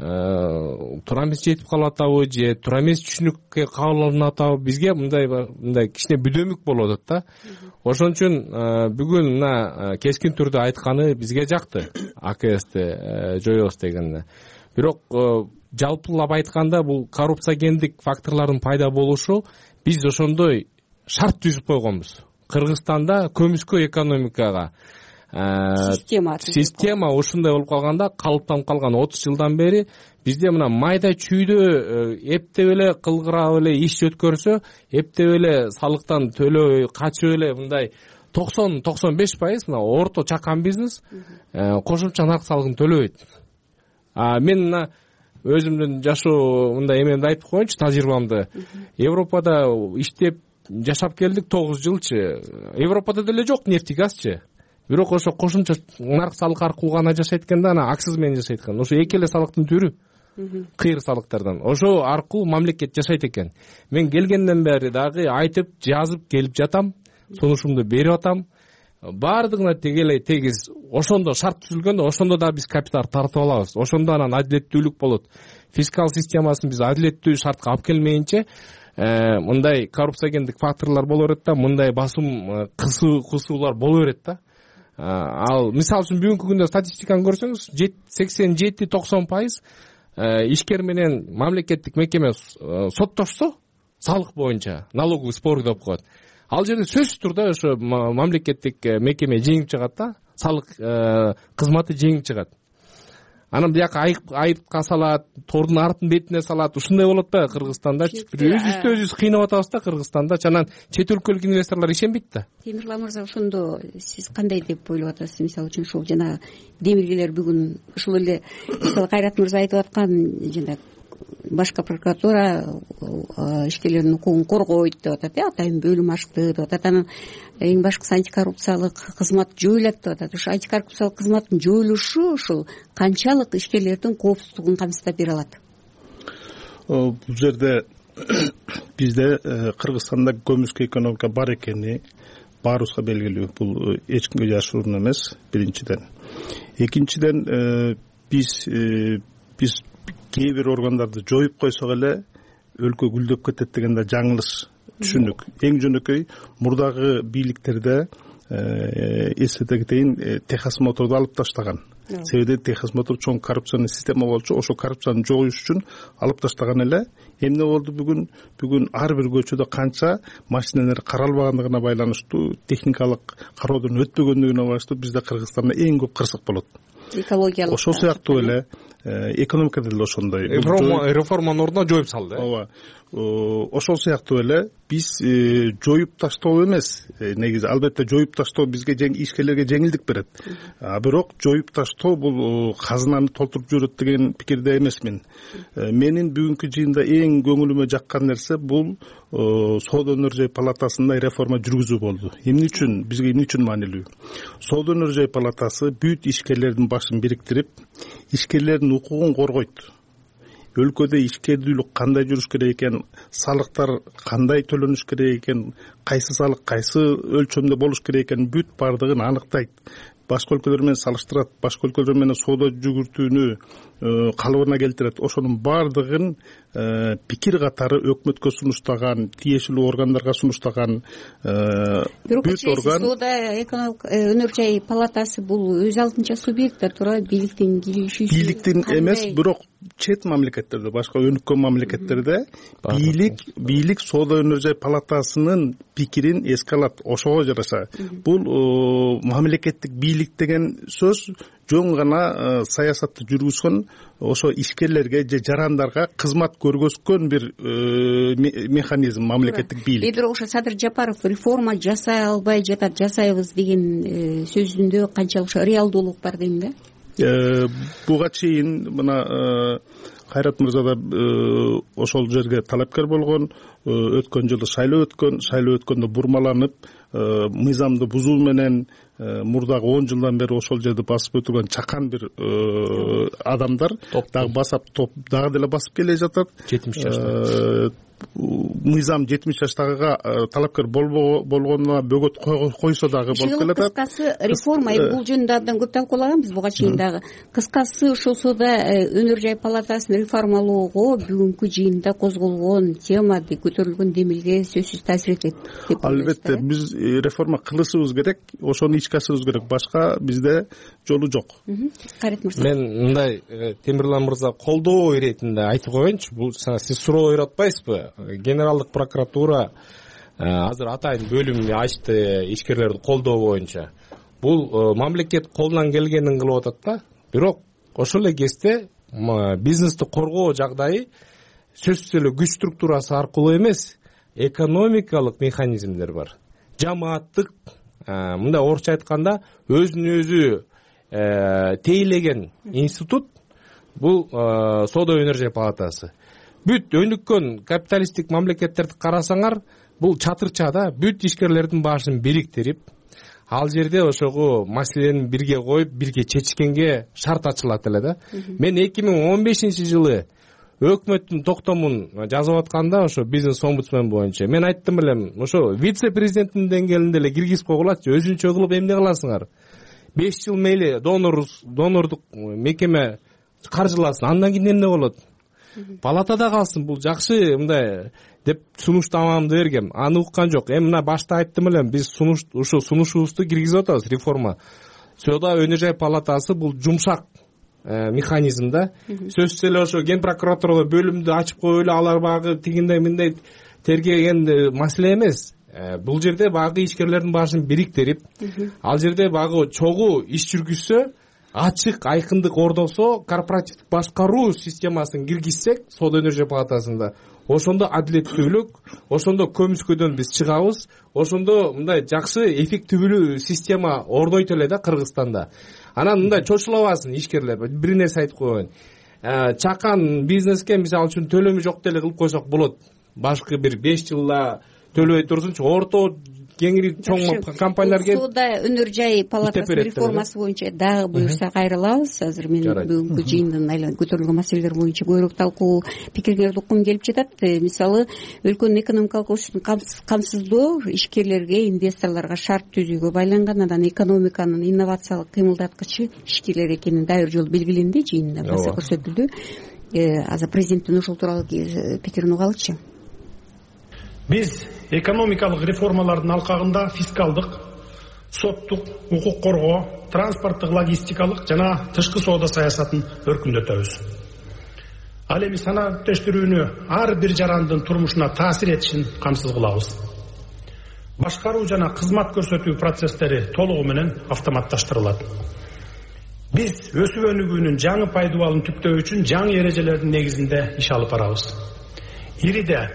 туура эмес жетип калып атабы же туура эмес түшүнүккө кабыл алынып атабы, бизге мындай мындай кичине бүдөмүк болуп атат да. Ошон үчүн бүгүн мына кескин түрдө айтканы бизге жакты, А К Сти жоебуз дегенде. Бирок жалпылап айтканда бул коррупциогендик факторлордун пайда болушу биз ошондой шарт түзүп койгонбуз. Кыргызстанда көмүскө экономикага система система ушундай болуп калганда, калыптанып калган отуз жылдан бери бизде мына майда чүйдө эптеп эле кылгырап эле иш өткөрсө, эптеп эле салыктан төлөбөй качып эле мындай токсон токсон беш пайыз мына орто чакан бизнес кошумча нарк салыгын төлөбөйт. А мен мына өзүмдүн жашоо мындай эмемди айтып коеюнчу, тажрыйбамды. Европада иштеп жашап келдик тогуз жылчы. Европада деле жок нефть и газчы. Бирок ошо кошумча нарк салык аркылуу гана жашайт экен да, анан аксыз менен жашайт экен. Ошо эки эле салыктын түрү. Кыйыр салыктардан. Ошо аркылуу мамлекет жашайт экен. Мен келгенден бери дагы айтып, жазып келип жатам, сунушумду берип атам. Баардыгына тегелей тегиз ошондо шарт түзүлгөндө, ошондо да биз капитал тартып алабыз. Ошондо анан адилеттүүлүк болот. Фискал системасын биз адилеттүү шартка алып келмейинче мындай коррупциогендик факторлор боло берет да, мындай басым кысуулар боло берет да. Ал мисалы үчүн бүгүнкү күндө статистиканы көрсөңүз, сексен жети токсон пайыз ишкер менен мамлекеттик мекеме соттошсо салык боюнча налоговый спор деп коет. Ал жерде сөзсүз турда ошо мамлекеттик мекеме жеңип чыгат да, салык кызматы жеңип чыгат. Анан бияка айыпка салат, тордун артын бетине салат. Ушундай болот да Кыргызстанда. Өзүбүздү өзүбүз кыйнап атабыз да Кыргызстанда. Анан чет өлкөлүк инвесторлор ишенбейт да. Темирлан мырза, ошондо сиз кандай деп ойлоп атасыз? Мисалы үчүн ушул жана демилгелер бүгүн ушул эле мисалы Кайрат мырза айтып аткан жана башкы прокуратура ишкерлердин укугун коргойт деп атат, э атайын бөлүм ачты деп атат. Анан эң башкысы антикоррупциялык кызмат жоюлат деп атат. Ошо антикоррупциялык кызматтын жоюлушу ушул канчалык ишкерлердин коопсуздугун камсыздап бере алат? Бул жерде бизде Кыргызстанда көмүскө экономика бар экени баарыбызга белгилүү. Бул эч кимге жашыруун эмес, биринчиден. Экинчиден, биз биз кээ бир органдарды жоюп койсок эле өлкө гүлдөп кетет деген да жаңылыш түшүндүк. Эң жөнөкөй мурдагы бийликтерде эсете кетейин, Техас моторду алып таштаган. Себеби Техас мотор чоң коррупционный система болчу, ошол коррупцияны жоюш үчүн алып таштаган эле. Эмне болду бүгүн? Бүгүн ар бир көчөдө канча машиналар каралбагандыгына байланыштуу, техникалык кароодон өтпөгөндүгүнө байланыштуу бизде Кыргызстанда эң көп кырсык болот. Экологиялык ошол сыяктуу эле экономикада деле ошондой реформанын ордуна жоюп салды. Ооба. Ошол сыяктуу эле биз жоюп таштоо эмес, негизи албетте жоюп таштоо бизге ишкерлерге жеңилдик берет. А бирок жоюп таштоо бул казынаны толтуруп жиберет деген пикирде эмесмин. Менин бүгүнкү жыйында эң көңүлүмө жаккан нерсе бул Соода өнөр жай палатасында реформа жүргүзүү болду. Эмне үчүн, бизге эмне үчүн маанилүү? Соода өнөр жай палатасы бүт ишкерлердин башын бириктирип, ишкерлердин укугун коргойт. Өлкөдө ишкердүүлүк кандай жүрүш керек экен, салыктар кандай төлөнүш керек экен, кайсы салык кайсы өлчөмдө болуш керек экен, бүт бардыгын аныктайт. Башка өлкөлөр менен салыштырат, башка өлкөлөр менен соода жүгүртүүнү калыбына келтирет. Ошонун бардыгын пикир катары өкмөткө сунуштаган, тиешелүү органдарга сунуштаган бүт орган. Соода экономик өнөр жай палатасы бул өз алдынча субъект да турат, бийликтин киришүүсү. Бийликтин эмес, бирок чет мамлекеттерде, башка өнүккөн мамлекеттерде бийлик бийлик Соода өнөр жай палатасынын пикирин эске алат. Ошого жараша бул мамлекеттик бийлик деген сөз жөн гана саясатты жүргүзгөн, ошо ишкерлерге же жарандарга кызмат көргөзгөн бир механизм мамлекеттик бийлик. Бирок ошо Садыр Жапаров реформа жасай албай жатат, жасайбыз деген сөзүндө канчалык реалдуулук бар дейм да? Буга чейин мына Кайрат мырза да ошол жерге талапкер болгон, өткөн жылы шайлоо өткөн, шайлоо өткөндө бурмаланып, мыйзамды бузуу менен мурдагы он жылдан бери ошол жерди басып өтүргөн чакан бир адамдар дагы басап топ дагы деле басып келе жатат. жетимиш жашта мыйзам жетимиш жаштагыга талапкер болгонуна бөгөт койсо дагы болуп келатат. Кыскасы реформа, бул жөнүндө абдан көп талкуулаганбыз буга чейин дагы. Кыскасы ошол Соода өнөр жай палатасын реформалоого бүгүнкү жыйында козголгон тема, көтөрүлгөн демилге сөзсүз таасир этет деп. Албетте биз реформа кылышыбыз керек, ошону ичке ашырыбыз керек. Башка бизде жолу жок. Мен мындай Темирлан мырза колдоо иретинде айтып коеюнчу. Бул сиз суроо берип атпайсызбы? Генералдык прокуратура азыр атайын бөлүм ачты ишкерлерди колдоо боюнча. Бул мамлекет колунан келгенин кылып атат да. Бирок ошол эле кезде бизнести коргоо жагдайы сөзсүз эле күч структурасы аркылуу эмес, экономикалык механизмдер бар. Жамааттык, мындай орусча айтканда, өзүн өзү тейлеген институт бул Соода өнөр жай палатасы. Бүт өнүккөн капиталисттик мамлекеттерди карасаңар, бул чатырча да, бүт ишкерлердин башын бириктирип, ал жерде ошого маселени бирге коюп, бирге чечкенге шарт ачылат эле да. Мен эки миң он бешинчи жылы өкмөттүн токтомун жазып атканда, ошо бизнес омбудсмен боюнча мен айттым элем, ошо вице-президенттин деңгээлинде эле киргизип койгулачы, өзүнчө кылып эмне кыласыңар? беш жыл мейли донор донордук мекеме каржыласын, андан кийин эмне болот? Палатада калсын, бул жакшы мындай деп сунуштамамды бергем. Аны уккан жок. Эми мына башта айттым элем, биз сунуш ушу сунушубузду киргизип атабыз реформа. Соода өнөр жай палатасы бул жумшак механизм да. Сөзсүз эле ошо ген прокуратурада бөлүмдү ачып коюп эле алар багы тигиндей мындай тергеген маселе эмес. Бул жерде багы ишкерлердин башын бириктирип, ал жерде багы чогуу иш жүргүзсө, ачык айкындык ордосо, корпоративдик башкаруу системасын киргизсек Соода өнөр жай палатасында, ошондо адилеттүүлүк, ошондо көмүскөдөн биз чыгабыз, ошондо мындай жакшы эффективдүү система орнойт эле да Кыргызстанда. Анан мындай чочулабасын ишкерлер. Бир нерсе айтып коеюн. чакан бизнеске мисалы үчүн төлөмү жок деле кылып койсок болот. Башкы бир беш жылда төлөбөй турсунчу, орто кеңири чоң компаниялар келип соода өнөр жай палатасы реформасы боюнча дагы буюрса кайрылабыз. Азыр мен бүгүнкү жыйындын көтөрүлгөн маселелер боюнча көбүрөөк талкуу пикирлерди уккум келип жатат. Мисалы өлкөнүн экономикалык өсүшүн камсыздоо ишкерлерге, инвесторлорго шарт түзүүгө байланган, анан экономиканын инновациялык кыймылдаткычы ишкерлер экени дагы бир жолу белгиленди, жыйында баса көрсөтүлдү. Азыр президенттин ушул тууралуу пикирин угалычы. Биз экономикалык реформалардын алкагында фискалдык, соттук, укук коргоо, транспорттук, логистикалык жана тышкы соода саясатын өркүндөтөбүз. Ал эми санааттештирүүнү ар бир жарандын турмушуна таасир этишин камсыз кылабыз. Башкаруу жана кызмат көрсөтүү процесстери толугу менен автоматташтырылат. Биз өсүп өнүгүүнүн жаңы пайдубалын түптөө үчүн жаңы эрежелердин негизинде иш алып барабыз. Ириде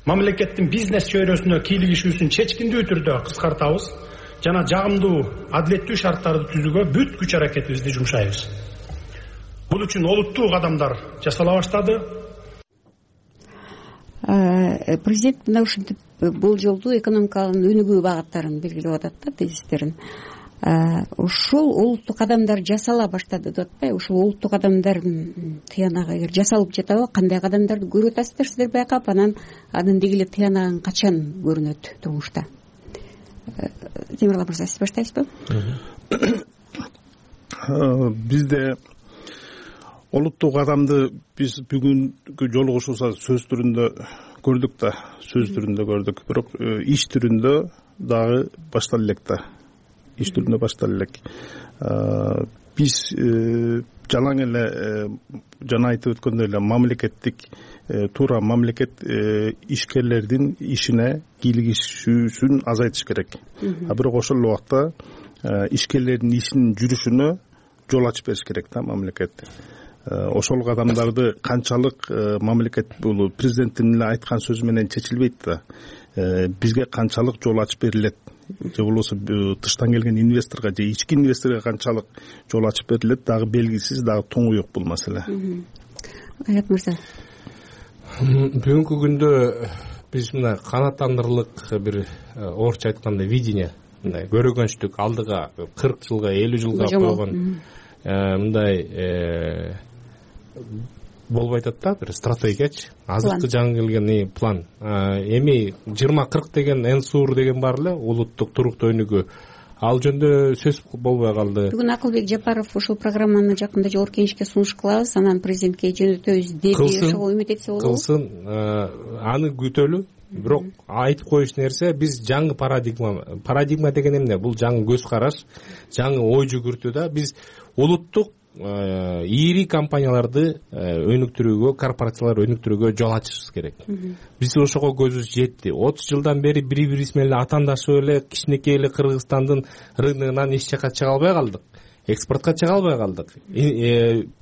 мамлекеттин бизнес чөйрөсүнө кийлигишүүсүн чечкиндүү түрдө кыскартабыз жана жагымдуу, адилеттүү шарттарды түзүүгө бүт күч аракетибизди жумшайбыз. Бул үчүн олуттуу кадамдар жасала баштады. Президент мына ушинтип бул жолду экономиканын өнүгүү багыттарын белгилеп атат да, тезистерин. Ушул олуттуу кадамдар жасала баштады деп атпайбы? Ушул олуттуу кадамдардын тыянагы эгер жасалып жатабы, кандай кадамдарды көрүп атасыздар сиздер байкап, анан анын деги эле тыянагын качан көрүнөт турмушта? Темирлан мырза, сиз баштайсызбы? Бизде олуттуу кадамды биз бүгүнкү жолугушуубузда сөз түрүндө көрдүк да, сөз түрүндө көрдүк. Бирок иш түрүндө дагы баштала элек да. Иш түрүндө баштала элек. Биз жалаң эле жана айтып өткөндөй эле мамлекеттик туура мамлекет ишкерлердин ишине кийлигишүүсүн азайтыш керек. А бирок ошол убакта ишкерлердин ишинин жүрүшүнө жол ачып бериш керек да мамлекет. Ошол кадамдарды канчалык мамлекет бул президенттин эле айткан сөзү менен чечилбейт да. Бизге канчалык жол ачып берилет, же болбосо тыштан келген инвесторго же ички инвесторго канчалык жол ачып берилет, дагы белгисиз, дагы тоңуюк бул маселе. Аят мырза. Бүгүнкү күндө биз мына канааттандырылык бир орусча айтканда видение, мындай көргөнчтүк алдыга кырк жылга, элүү жылга койгон мындай болбой атат да, бир стратегиячы, азыркы жаңы келген план. Эми жыйырма кырк деген эн-сур деген бар эле, улуттук туруктуу өнүгүү. Ал жөнүндө сөз болбой калды. Бүгүн Акылбек Жапаров ушул программаны жакында жогорку кеңешке сунуш кылабыз, анан президентке жөнөтөбүз деди, ошого үмүт этсе болобу? Кылсын, аны күтөлү. Бирок айтып коюш нерсе, биз жаңы парадигма, парадигма деген эмне? Бул жаңы көз караш, жаңы ой жүгүртүү да. Биз улуттук ири компанияларды өнүктүрүүгө, корпорациялар өнүктүрүүгө жол ачышыбыз керек. Биз ошого көзүбүз жетти. отуз жылдан бери бири-бирибиз менен атаандашып эле кичинекей эле Кыргызстандын рыногунан эч жака чыга албай калдык. Экспортко чыга албай калдык.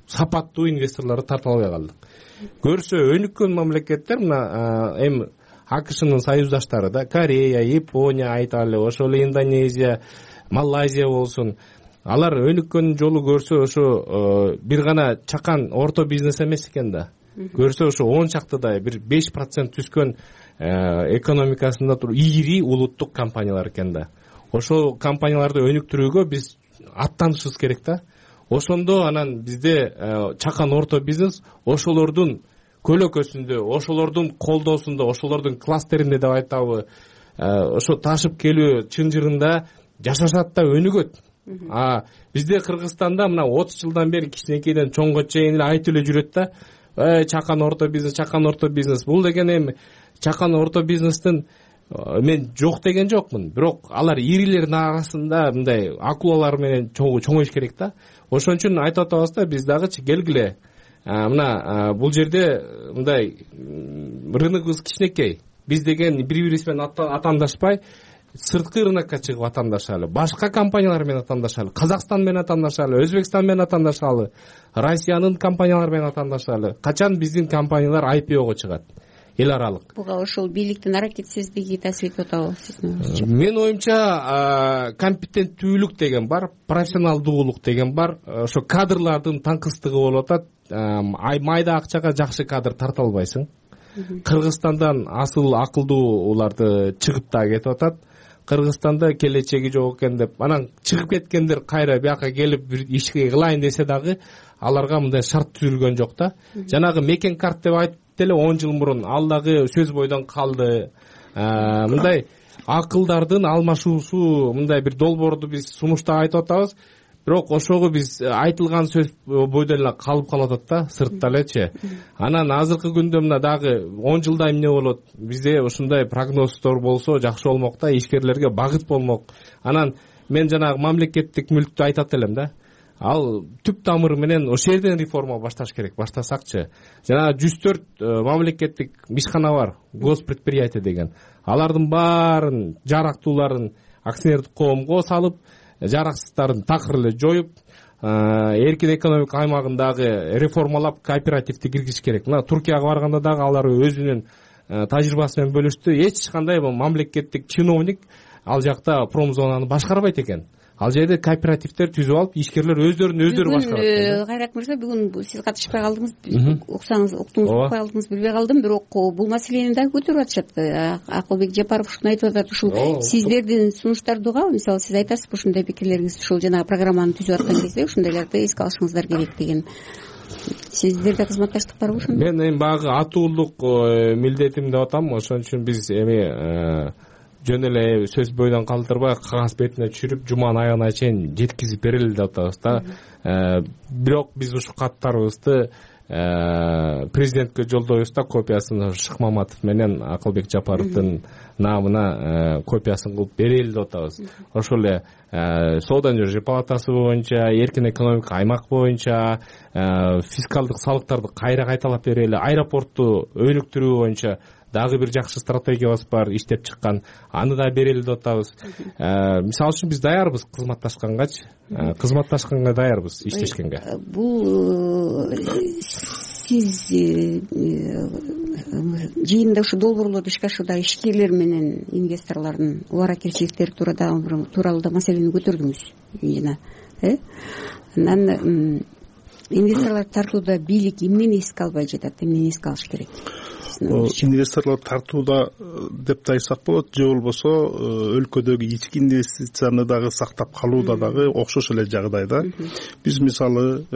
Сапаттуу инвесторлорду тарта албай калдык. Көрсө өнүккөн мамлекеттер мына эми АКШнын союздаштары да, Корея, Япония айталы, ошол эле Индонезия, Малайзия болсун. Алар өнүккөн жолу көрсө ошо бир гана чакан орто бизнес эмес экен да. Көрсө ошо он чактыдай бир беш процент түскөн экономикасында туруп ири улуттук компаниялар экен да. Ошол компанияларды өнүктүрүүгө биз аттанышыбыз керек да. Ошондо анан бизде чакан орто бизнес ошолордун көлөкөсүндө, ошолордун колдоосунда, ошолордун кластеринде деп айтабы, ошо ташып келүү чынжырында жашашат да, өнүгөт. А бизде Кыргызстанда мына отуз жылдан бери кичинекейден чоңго чейин эле айтып эле жүрөт да. Э чакан орто бизнес, чакан орто бизнес. Бул деген эми чакан орто бизнестин мен жок деген жокмун. Бирок алар ирилердин арасында мындай акулалар менен чоңоюш керек да. Ошон үчүн айтып атабыз да, биз дагычы келгиле. Мына бул жерде мындай рыногубуз кичинекей. Биз деген бири-бирибиз менен атаандашпай сырткы рынокко чыгып атаандашалы, башка компаниялар менен атаандашалы, Казакстан менен атаандашалы, Өзбекстан менен атаандашалы, Россиянын компаниялары менен атаандашалы. Качан биздин компаниялар ай пи ого чыгат? Эл аралык. Буга ошол бийликтин аракетсиздиги таасир этип атабы сиздин оюңузча? Менин оюмча компетенттүүлүк деген бар, профессионалдуулук деген бар, ошо кадрлардын таңкыстыгы болуп атат. майда акчага жакшы кадр тарта албайсың. Кыргызстандан асыл акылдууларды чыгып да кетип атат. Кыргызстанда келечеги жок экен деп анан чыгып кеткендер кайра бияка келип бир ишке кылайын десе дагы аларга мындай шарт түзүлгөн жок да. Жанагы мекен карт деп айтып деле он жыл мурун ал дагы сөз бойдон калды. Мындай акылдардын алмашуусу, мындай бир долбоорду биз сунушта айтып атабыз. Бирок ошого биз айтылган сөз бойдон эле калып калып атат да, сыртта элечи. Анан азыркы күндө мына дагы он жылда эмне болот? Бизде ушундай прогноздор болсо жакшы болмок да, ишкерлерге багыт болмок. Анан мен жанагы мамлекеттик мүлктү айтат элем да. Ал түп тамыры менен ошол жерден реформа башташ керек, баштасакчы. Жана жүз төрт мамлекеттик ишкана бар, госпредприятие деген. Алардын баарын жарактууларын акционердик коомго салып, жараксыздарын такыр эле жоюп, эркин экономика аймагындагы реформалап кооперативди киргизиш керек. Мына Туркияга барганда дагы алар өзүнүн тажрыйбасы менен бөлүштү. Эч кандай мамлекеттик чиновник ал жакта промзонаны башкарбайт экен. Ал жерде кооперативдер түзүп алып, ишкерлер өздөрүн өздөрү башкарат. Бүгүн Кайрат мырза, бүгүн сиз катышпай калдыңыз, уксаңыз, уктуңуз, укпай калдыңыз, билбей калдым, бирок бул маселени дагы көтөрүп атышат. Акылбек Жапаров ушуну айтып атат, ушул сиздердин сунуштарды угап, мисалы сиз айтасызбы ушундай пикирлериңиз ушул жанагы программаны түзүп аткан кезде ушундайларды эске алышыңыздар керек деген. Сиздерде кызматташтык барбы ошондо? Мен эми багы атуулук милдетим деп атам, ошон үчүн биз эми жөн эле сөз бойдон калтырбай кагаз бетине түшүрүп жуманын аягына чейин жеткизип берели деп атабыз да. Бирок биз ушул каттарыбызды президентке жолдойбуз да, копиясын Шыкмаматов менен Акылбек Жапаровдун намына копиясын кылып берели деп атабыз. Ошол эле соода жана жер палатасы боюнча, эркин экономика аймак боюнча фискалдык салыктарды кайра кайталап берели, аэропортту өнүктүрүү боюнча дагы бир жакшы стратегиябыз бар, иштеп чыккан. Аны да берели деп атабыз. Мисалы үчүн биз даярбыз кызматташкангачы. Кызматташканга даярбыз, иштешкенге. Бул сиз жыйында ушу долбоорлорду ишке ашууда ишкерлер менен инвесторлордун убара кирчиликтери тууралуу да маселени көтөрдүңүз жана, э? Анан инвесторлорду тартууда бийлик эмнени эске албай жатат, эмнени эске алыш керек? Инвесторлор тартууда деп да айтсак болот, же болбосо өлкөдөгү ички инвестицияны дагы сактап калууда дагы окшош эле жагдайда. Биз мисалы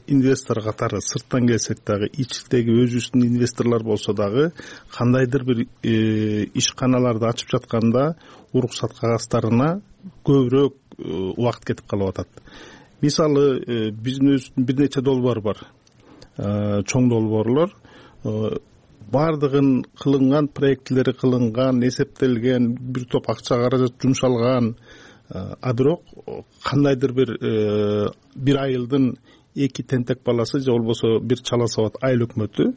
инвестор катары сырттан келсек дагы, ичтеги өзүбүздүн инвесторлор болсо дагы кандайдыр бир ишканаларды ачып жатканда уруксат кагаздарына көбүрөөк убакыт кетип калып атат. Мисалы биздин өзүбүздүн бир нече долбоор бар, чоң долбоорлор. Бардыгын кылынган, проектлери кылынган, эсептелген, бир топ акча каражат жумшалган. А бирок кандайдыр бир бир айылдын эки тентек баласы же болбосо бир чала сабат айыл өкмөтү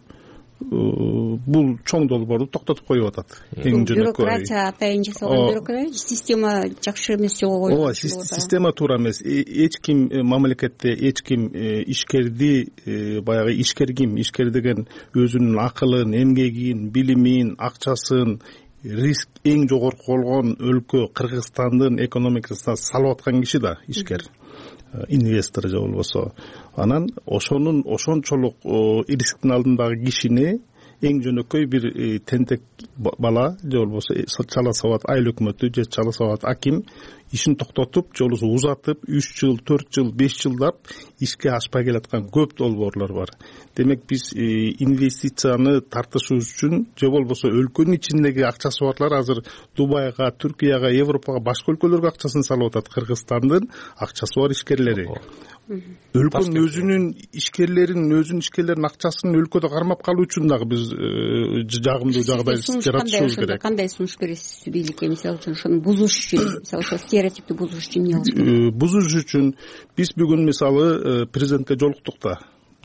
бул чоң долбоорду токтотуп коюп атат. Эң жөнөкөй бюрократия атайын жасалган бюрократия, система жакшы эмес жолго коюлган. Ооба, система туура эмес. Эч ким мамлекетте эч ким ишкерди баягы ишкер ким, ишкер деген өзүнүн акылын, эмгегин, билимин, акчасын риск эң жогорку болгон өлкө Кыргызстандын экономикасына салып аткан киши да ишкер. Инвестор же болбосо. Анан ошонун ошончолук рисктин алдындагы кишини эң жөнөкөй бир тентек бала же болбосо чала сабат айыл өкмөтү же чала сабат аким ишин токтотуп же болбосо узатып үч жыл, төрт жыл, беш жылдап ишке ашпай келаткан көп долбоорлор бар. Демек биз инвестицияны тартышыбыз үчүн же болбосо өлкөнүн ичиндеги акчасы барлар азыр Дубайга, Түркияга, Европага, башка өлкөлөргө акчасын салып атат. Кыргызстандын акчасы бар ишкерлери. Өлкөнүн өзүнүн ишкерлерин, өзүнүн ишкерлеринин акчасын өлкөдө кармап калуу үчүн дагы биз жагымдуу жагдай жаратышыбыз керек. Кандай сунуш бересиз бийликке, мисалы үчүн ошону бузуш үчүн, мисалы ошо стереотипти бузуш үчүн эмне кылыш керек? Бузуш үчүн биз бүгүн мисалы президентке жолуктук да,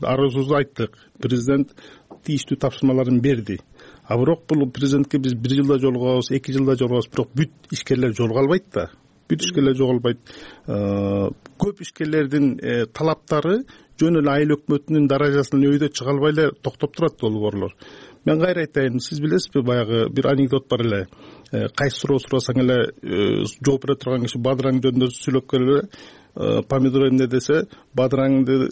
арызыбызды айттык. Президент тийиштүү тапшырмаларын берди. А бирок бул президентке биз бир жылда жолугабыз, эки жылда жолугабыз, бирок бүт ишкерлер жолуга албайт да. Бүт ишкерлер жоголбайт. Көп ишкерлердин талаптары жөн эле айыл өкмөтүнүн даражасынан өйдө чыга албай эле токтоп турат долбоорлор. Мен кайра айтайын, сиз билесизби, баягы бир анекдот бар эле. Кайсы суроо сурасаң эле жооп бере турган киши бадыраң жөнүндө сүйлөп келе, помидор эмне десе, бадыраңды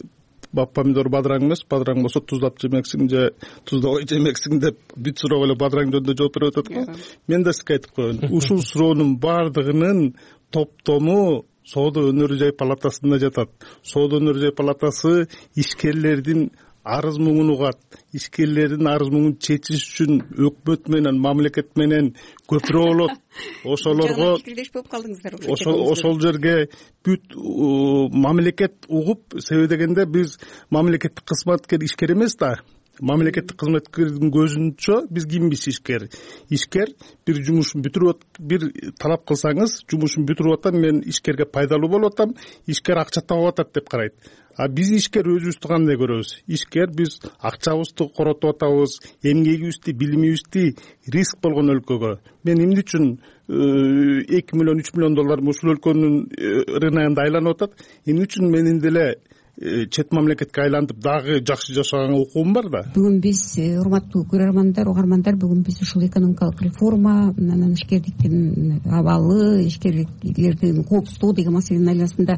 помидор бадыраң эмес, бадыраң болсо туздап жемексиң же туздабай жемексиң деп бүт суроого эле бадыраң жөнүндө жооп берип атат го. Мен да сизге айтып коеюн, ушул суроонун баардыгынын топтому Соода өнөр жай палатасында жатат. Соода өнөр жай палатасы ишкерлердин арыз муңун угат, ишкерлердин арыз муңун чечиш үчүн өкмөт менен, мамлекет менен көпүрө болот. Ошолорго болуп калдыңыздар. Ошол ошол жерге бүт мамлекет угуп, себеби дегенде биз мамлекеттик кызматкер ишкер эмес да. Мамлекеттик кызматкердин көзүнчө биз кимбиз? Ишкер. Ишкер бир жумушун бүтүрүп, бир талап кылсаңыз, жумушун бүтүрүп атам, мен ишкерге пайдалуу болуп атам, ишкер акча таап атат деп карайт. А биз ишкер өзүбүздү кандай көрөбүз? Ишкер биз акчабызды коротуп атабыз, эмгегибизди, билимибизди риск болгон өлкөгө. Мен эмне үчүн эки миллион үч миллион доллар ушул өлкөнүн рыногунда айланып атат? Эмне үчүн менин деле чет мамлекетке айлантып дагы жакшы жашаганга укугум бар да. Бүгүн биз, урматтуу көрөрмандар, угармандар, бүгүн биз ушул экономикалык реформа, анан ишкердиктин абалы, ишкерлердин коопсуздугу деген маселенин айланасында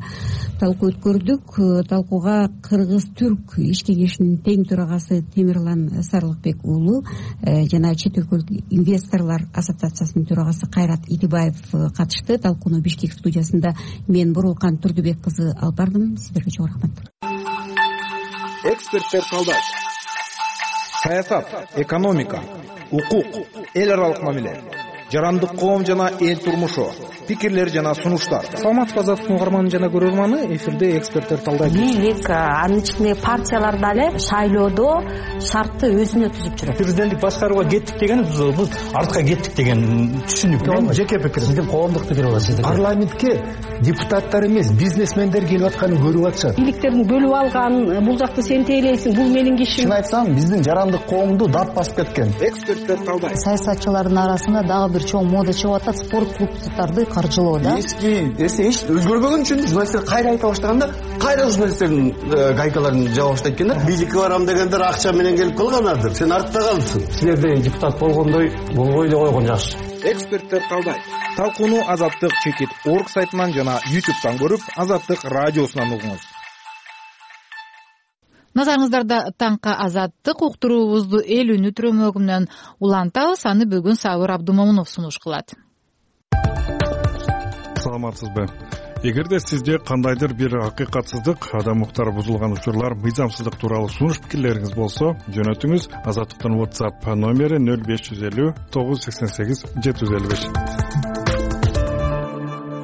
талкуу өткөрдүк. Талкууга Кыргыз-Түрк иш кеңешинин тең төрагасы Темирлан Сарылыкбек уулу жана чет өлкөлүк инвесторлор ассоциациясынын төрагасы Кайрат Идибаев катышты. Талкууну Бишкек студиясында мен Бурулкан Турдубек кызы алып бардым. Сиздерге чоң рахмат. Эксперттер талдайт. Саясат, экономика, укук, эл аралык мамиле, жарандык коом жана эл турмушу, пикирлер жана сунуштар. Саламатсызбы азаттыктын угарманы жана көрөрманы, эфирде эксперттер талдайт. Бийлик, анын ичинде партиялар дагы шайлоодо шартты өзүнө түзүп жүрөт. Президенттик башкарууга кеттик деген биз артка кеттик деген түшүнүк. Мен жеке пикирим. Сиздин коомдук пикир бар сиздин. Парламентке депутаттар эмес, бизнесмендер келип атканын көрүп атышат. Бийликтердин бөлүп алган, бул жакты сен тейлейсиң, бул менин кишим. Чын айтсам, биздин жарандык коомду дат басып кеткен. Эксперттер талдайт. Саясатчылардын арасында дагы бир чоң мода чыгып атат, спорт клубдарды каржылоо да. Эски эсе эч өзгөрбөгөн үчүн журналисттер кайра айта баштаганда, кайра журналисттердин гайкаларын жаба баштайт экен да. Бийликке барам дегендер акча менен келип калганадыр. Сен артта калдың. Силерде депутат болгондой болбой эле койгон жакшы. Эксперттер талдайт. Талкууну Азаттык чекит орг сайтынан жана ютубтан көрүп, Азаттык радиосунан угуңуз. Назарыңыздарда таңка Азаттык уктуруубузду эл үнү трөмөгү менен улантабыз. Аны бүгүн Сабыр Абдумомунов сунуш кылат. Саламатсызбы? Эгерде сизде кандайдыр бир акыйкатсыздык, адам укуктары бузулган учурлар, мыйзамсыздык тууралуу сунуш пикирлериңиз болсо, жөнөтүңүз. Азаттыктын WhatsApp номери нөл беш жүз элүү тогуз жүз сексен сегиз жети жүз элүү беш.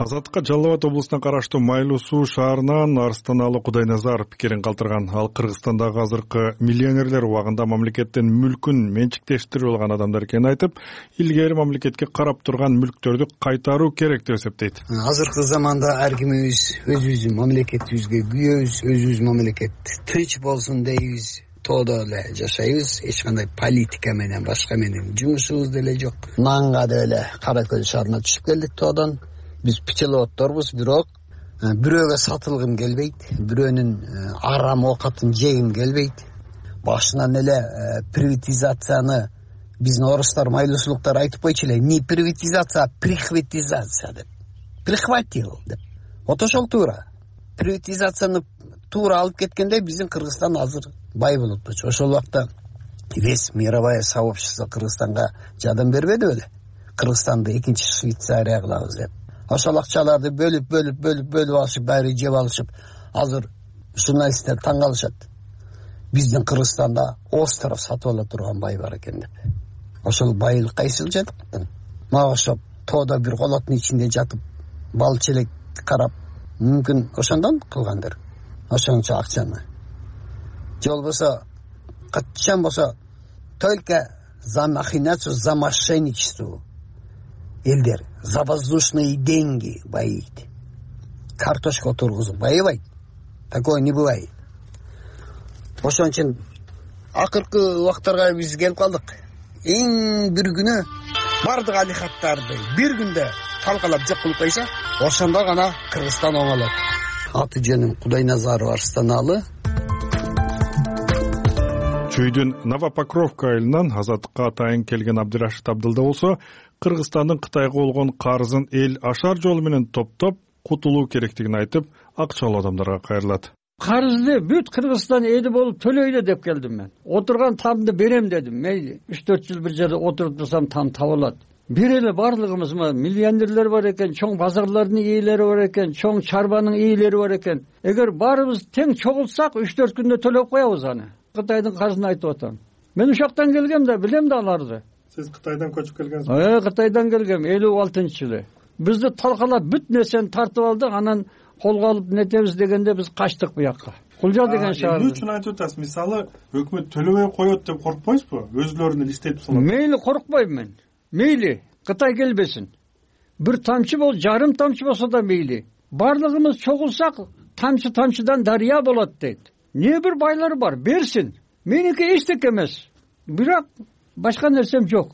Азаттыкка Жалал Абад облусуна караштуу Майлуу Суу шаарынан Арстаналы Кудайназаров пикирин калтырган. Ал Кыргызстандагы азыркы миллионерлер убагында мамлекеттин мүлкүн менчиктештирип алган адамдар экенин айтып, илгери мамлекетке карап турган мүлктөрдү кайтаруу керек деп эсептейт. Азыркы заманда ар кимибиз өзүбүздүн мамлекетибизге күйөбүз, өзүбүздүн мамлекет тынч болсун дейбиз. Тоодо эле жашайбыз, эч кандай политика менен, башка менен жумушубуз деле жок. Нанга деле Кара Көл шаарына түшүп келдик тоодон. Биз пчеловодторбуз, бирок бирөөгө сатылгым келбейт, бирөөнүн арам оокатын жегим келбейт. Башынан эле приватизацияны биздин орустар, майлуусулуктар айтып койчу эле, не приватизация, а прихватизация деп. Прихватил деп. Вот ошол туура. Приватизацияны туура алып кеткенде биздин Кыргызстан азыр бай болуп атчу. Ошол убакта весь мировое сообщество Кыргызстанга жардам бербеди беле? Кыргызстанды экинчи Швейцария кылабыз деп. Ошол акчаларды бөлүп, бөлүп, бөлүп, бөлүп алышып, баары жеп алышып, азыр журналисттер таң калышат. Биздин Кыргызстанда остров сатып ала турган бай бар экен деп. Ошол байлык кайсыл жатат? Мага окшоп, тоодо бир колоттун ичинде жатып, бал челек карап, мүмкүн ошондон кылгандыр. Ошончо акчаны. Же болбосо, качан болсо, только за махинацию, за мошенничество. Элдер за воздушные деньги боит. Картошку тургузуп байыбайт. Такое не бывает. Ошон үчүн акыркы убактарга биз келип калдык. Эң бир күнү бардык алихаттарды бир күндө талкалап жок кылып койсо, ошондо гана Кыргызстан оңолот. Аты жөнүм Кудайназаров Арстаналы. Чүйдүн Новопокровка айылынан Азаттыкка атайын келген Абдырашид Абдылда болсо, Кыргызстандын Кытайга болгон карызын эл ашар жолу менен топтоп кутулуу керектигин айтып, акчалуу адамдарга кайрылат. карызды бүт Кыргызстан эли болуп төлөйлү деп келдим мен. Отурган тамды берем дедим. Мейли үч төрт жыл бир жерде отуруп турсам там табылат. Бир эле барлыгыбыз миллионерлер бар экен, чоң базарлардын ээлери бар экен, чоң чарбанын ээлери бар экен. Эгер баарыбыз тең чогулсак үч төрт күндө төлөп коебуз аны. Кытайдын карызын айтып атам. Мен ушактан келгем да, билем да аларды. Сиз Кытайдан көчүп келгенсизби? Э, Кытайдан келгем элүү алтынчы жылы. Бизди талкалап бүт нерсени тартып алды, анан колго алып нетебиз дегенде биз качтык буякка. Кулжа деген шаар. Эмне үчүн айтып атасыз? Мисалы, өкмөт төлөбөй коет деп коркпойсузбу? Өзлөрүнүн иштетип салат. Мейли коркпойм мен. Мейли Кытай келбесин. Бир тамчы бол, жарым тамчы болсо да мейли. Барлыгыбыз чогулсак, тамчы тамчыдан дарыя болот дейт. Не бир байлары бар, берсин. Меники эчтеке эмес. Бирок башка нерсем жок.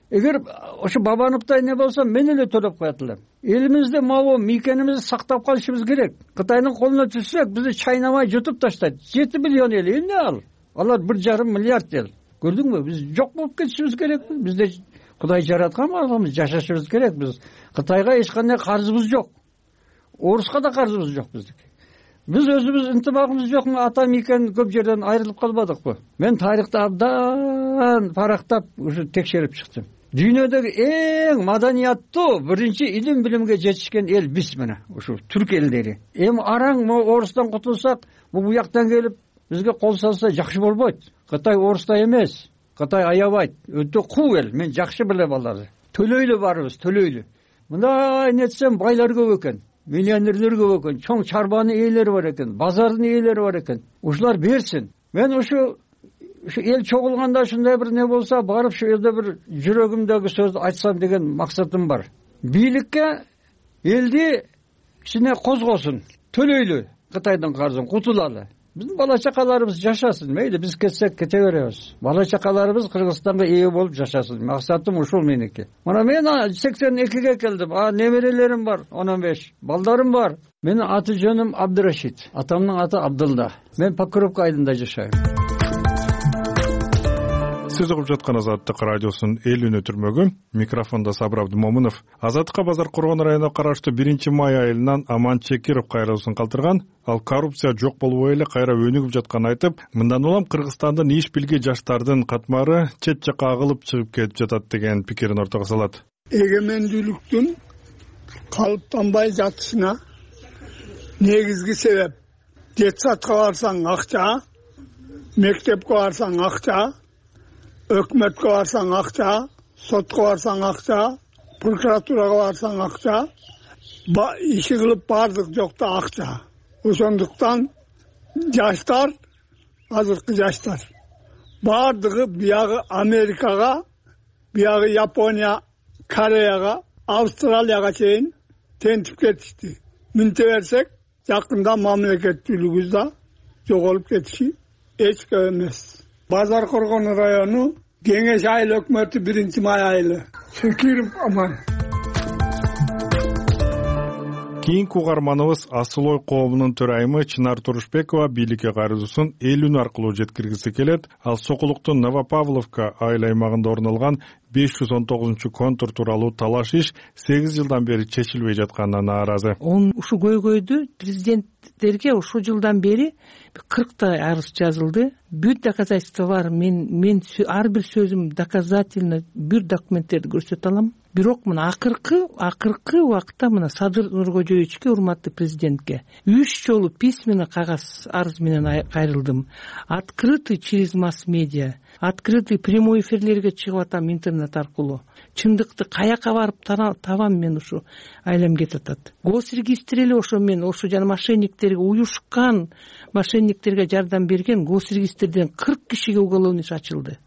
Эгер ошо Бабановдай не болсо, мен эле төлөп коет элем. Элимизде могу мийкенибизди сактап калышыбыз керек. Кытайдын колуна түшсөк, бизди чайнамай жутуп таштайт. жети миллион эл эмне ал? Алар бир жарым миллиард эл. Көрдүңбү? Биз жок болуп кетишибиз керек. Бизде Кудай жараткан баламыз, жашашыбыз керек. Биз Кытайга эч кандай карызыбыз жок. Оруска да карызыбыз жок биздики. Биз өзүбүз ынтымагыбыз жокму? Ата мейкен көп жерден айрылып калбадыкпы? Мен тарыхты абдан парактап, ушу текшерип чыктым. Дүйнөдөгү эң маданияттуу, биринчи илим билимге жетишкен эл биз мына, ушу түрк элдери. Эми араң могу орустан кутулсак, бу буяктан келип бизге кол салса жакшы болбойт. Кытай орустай эмес. Кытай аябайт. Өтө куу эл. Мен жакшы билем аларды. Төлөйлү барыбыз, төлөйлү. Мындай нетсем байлар көп экен. Миллионерлер көп экен. Чоң чарбанын ээлери бар экен. Базардын ээлери бар экен. Ушулар берсин. Мен ушу ушу эл чогулганда ушундай бир не болсо, барып шу жерде бир жүрөгүмдөгү сөздү айтсам деген максатым бар. Бийликке элди кичине козгосун. Төлөйлү Кытайдын карызын кутулалы. Биздин бала чакаларыбыз жашасын. Мейли биз кетсек кете беребиз. Бала чакаларыбыз Кыргызстанга ээ болуп жашасын. Максатым ушул меники. Мына мен сексен экиге келдим. А неберелерим бар, он беш. Балдарым бар. Менин аты жөнүм Абдырашид. Атамдын аты Абдылда. Мен Покровка айылында жашайм. Сиз угуп жаткан Азаттык радиосунун эл үнү түрмөгү. Микрофондо Сабыр Абдымомунов. Азаттыкка базар Коргон районуна караштуу биринчи май айылынан Аман Чекиров кайрылуусун калтырган. Ал коррупция жок болбой эле кайра өнүгүп жатканын айтып, мындан улам Кыргызстандын иш билги жаштардын катмары чет жакка агылып чыгып кетип жатат деген пикирин ортого салат. Эгемендүүлүктүн калыптанбай жатышына негизги себеп детсадка барсаң акча, мектепке барсаң акча, өкмөткө барсаң акча, сотко барсаң акча, прокуратурага барсаң акча, иши кылып бардык жокто акча. Ошондуктан жаштар, азыркы жаштар бардыгы биягы Америкага, биягы Япония, Кореяга, Австралияга чейин тентип кетишти. Мынте берсек, жакында мамлекеттүүлүгүбүз да жоголуп кетиши эч көп эмес. Базар Коргон району Кеңеш айыл өкмөтү биринчи май айылы. Чекиров Аман. Кийинки угарманыбыз Асылой коомунун төрайымы Чынар Турушбекова бийликке кайрылуусун эл үнү аркылуу жеткиргиси келет. Ал Сокулуктун Новопавловка айыл аймагында орун алган беш жүз он тогузунчу контур тууралуу талаш иш сегиз жылдан бери чечилбей жатканына нааразы. Ушу көйгөйдү президенттерге ушул жылдан бери кырктай арыз жазылды. Бүт доказательство бар. Мен мен ар бир сөзүм доказательно бир документтерди көрсөтө алам. Бирок мына акыркы акыркы убакытта мына Садыр Нуркожоевичке, урматтуу президентке үч жолу письменно кагаз арыз менен кайрылдым. Открытый через масс-медиа, открытый прямой эфирлерге чыгып атам интернет аркылуу. Чындыкты каяка барып табам мен ушу айлам кетип атат. Госрегистр эле ошо мен ошо жана мошенниктерге уюшкан, мошенниктерге жардам берген госрегистрден кырк кишиге уголовный иш ачылды.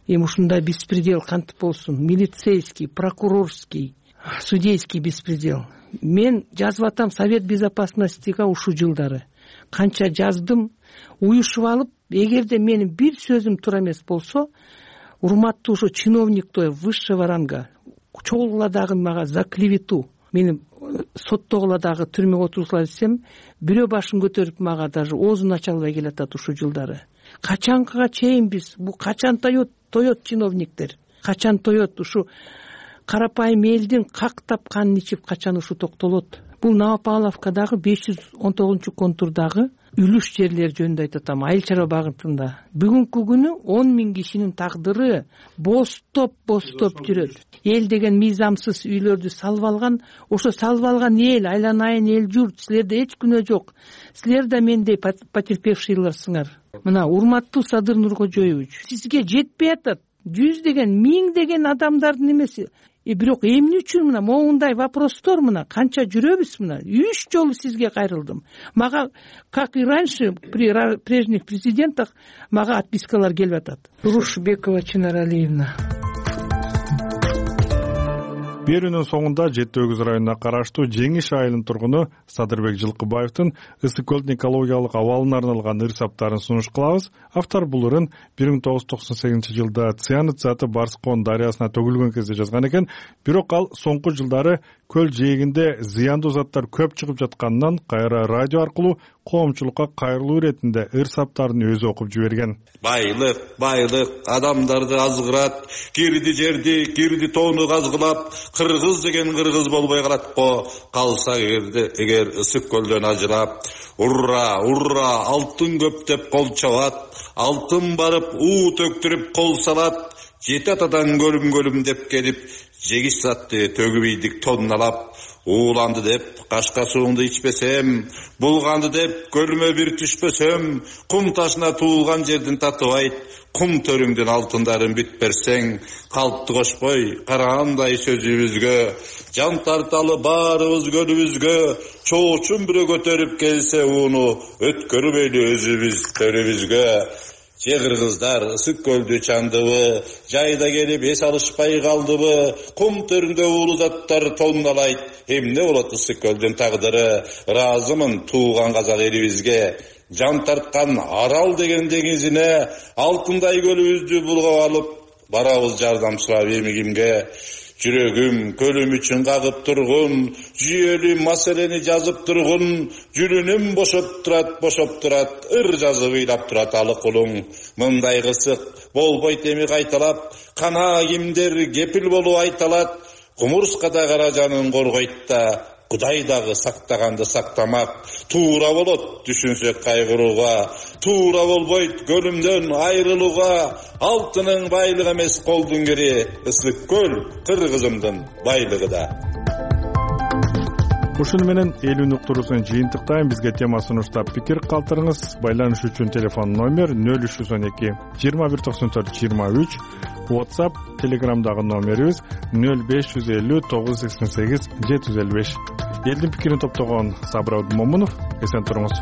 Эми ушундай беспредел кантип болсун? Милицейский, прокурорский, судейский беспредел. Мен жазып атам Совет безопасностига ушул жылдары. Канча жаздым, уюшуп алып, эгерде менин бир сөзүм туура эмес болсо, урматтуу ошо чиновниктой высшего ранга чогулгула дагы мага за клевету мени соттогула дагы түрмөгө отургузгула десем, бирөө башын көтөрүп мага даже оозун ача албай келатат ушул жылдары. Качанкыга чейин биз бу качан тоет тоет чиновниктер, качан тоет ушу карапайым элдин как тапканын ичип качан ушу токтолот? Бул Новопавловкадагы беш жүз он тогузунчу контурдагы үлүш жерлер жөнүндө айтып атам, айыл чарба багытында бүгүнкү күнү он миң кишинин тагдыры бостоп бостоп жүрөт. Эл деген мыйзамсыз үйлөрдү салып алган, ошо салып алган эл, айланайын эл журт, силерде эч күнөө жок. Силер да мендей потерпевшийлерсиңар. Мына урматтуу Садыр Нуркожоевич, сизге жетпей атат. Жүздөгөн, миңдеген адамдардын эмеси. И бирок эмне үчүн мына моундай вопростор, мына канча жүрөбүз, мына үч жолу сизге кайрылдым. Мага, как и раньше при прежних президентах, мага отпискалар келип атат. Рушбекова Чынар Алиевна. Берүүнүн соңунда Жети Өгүз районуна караштуу Жеңиш айылынын тургуну Садырбек Жылкыбаевдин ысык көлдүн экологиялык абалына арналган ыр-саптарын сунуш кылабыз. Автор бул ырын бир миң тогуз жүз токсон сегизинчи жылда цианид заты Барскон дарыясына төгүлгөн кезде жазган экен. Бирок ал соңку жылдары көл жээгинде зыяндуу заттар көп чыгып жатканынан кайра радио аркылуу коомчулукка кайрылуу иретинде ыр-саптарын өзү окуп жиберген. Байлык, байлык адамдарды азгырат, кирди жерди, кирди тоону казгылап, кыргыз деген кыргыз болбой калат го, калса эгерде эгер ысык көлдөн ажырап. Урра, урра, алтын көп деп кол чабат, алтын барып уу төктүрүп кол салат, жети атадан көлүм көлүм деп келип, жегиш затты төгүп ийдик тонналап. Ууланды деп кашка сууңду ичпесем, булганды деп көлүмө бир түшпөсөм, кум ташына туулган жердин татыбайт, кум төрүңдүн алтындарын бүт берсең, калпты кошпой карагандай сөзүбүзгө, жан тарталы баарыбыз көлүбүзгө, чоочун бирөө көтөрүп келсе ууну, өткөрбөйлү өзүбүз төрүбүзгө. Же кыргыздар ысык көлдү чандыбы, жайда келип эс алышпай калдыбы, кум төрүндө уулу заттар тонналайт, эмне болот ысык көлдүн тагдыры, ыраазымын тууган казак элибизге. Жан тарткан Арал деген деңизине, алтындай көлүбүздү булгап алып, барабыз жардамчылап эми кимге. Жүрөгүм көлүм үчүн кагып тургун, жүйөлүү маселени жазып тургун, жүрүнүм бошоп турат, бошоп турат, ыр жазып ыйлап турат алык улуң. Мындай кысык болбойт эми кайталап, кана кимдер кепил болуп айталат, кумурскада кара жанын коргойт да, Кудай дагы сактаганды сактамак. Туура болот түшүнсөк кайгырууга, туура болбойт көлүмдөн айрылууга. Алтынын байлыгы эмес колдун кири, ысык көл кыргызымдын байлыгы да. Ушуну менен элүүнү уктуруусун жыйынтыктайм. Бизге тема сунуштап пикир калтырыңыз. Байланыш үчүн телефон номер нөл үч жүз он эки жыйырма бир токсон төрт жыйырма үч. WhatsApp, Telegramдагы номерибиз нөл беш жүз элүү тогуз жүз сексен сегиз жети жүз элүү беш. Элдин пикирин топтогон Сабыр Абдумомунов. Эсен туруңуз.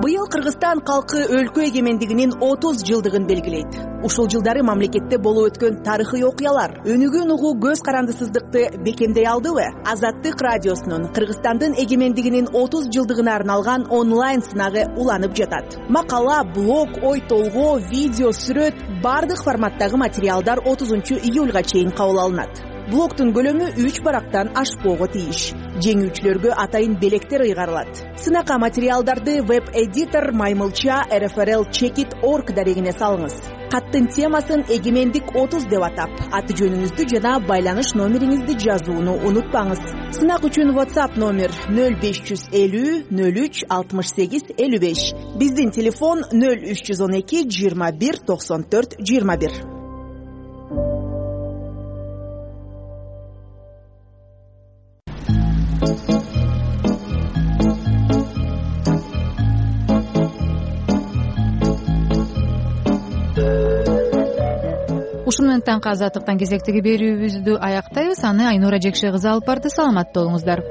Быйыл Кыргызстан калкы өлкө эгемендигинин отуз жылдыгын белгилейт. Ушул жылдары мамлекетте болуп өткөн тарыхый окуялар өнүгүүнү угуу көз карандысыздыкты бекемдей алдыбы? Азаттык радиосунун Кыргызстандын эгемендигинин отуз жылдыгына арналган онлайн сынагы уланып жатат. Макала, блог, ой толгоо, видео, сүрөт бардык форматтагы материалдар отузунчу июлга чейин кабыл алынат. Блогтун көлөмү үч барактан ашпоого тийиш. Жеңүүчүлөргө атайын белектер ыйгарылат. Сынакка материалдарды веб-эдитор Маймылча эр эф эр эл чекит точка орг дарегине салыңыз. Каттын темасын эгемендик отуз деп атап, аты жөнүңүздү жана байланыш номериңизди жазууну унутпаңыз. Сынак үчүн WhatsApp номер нөл беш жүз элүү нөл үч алтымыш сегиз элүү беш. Биздин телефон нөл үч жүз он эки жыйырма бир токсон төрт жыйырма бир. Ушуну менен таңкы азаттыктан кезектеги берүүбүздү аяктайбыз. Аны Айнура Жекше кызы алып барды. Саламатта болуңуздар.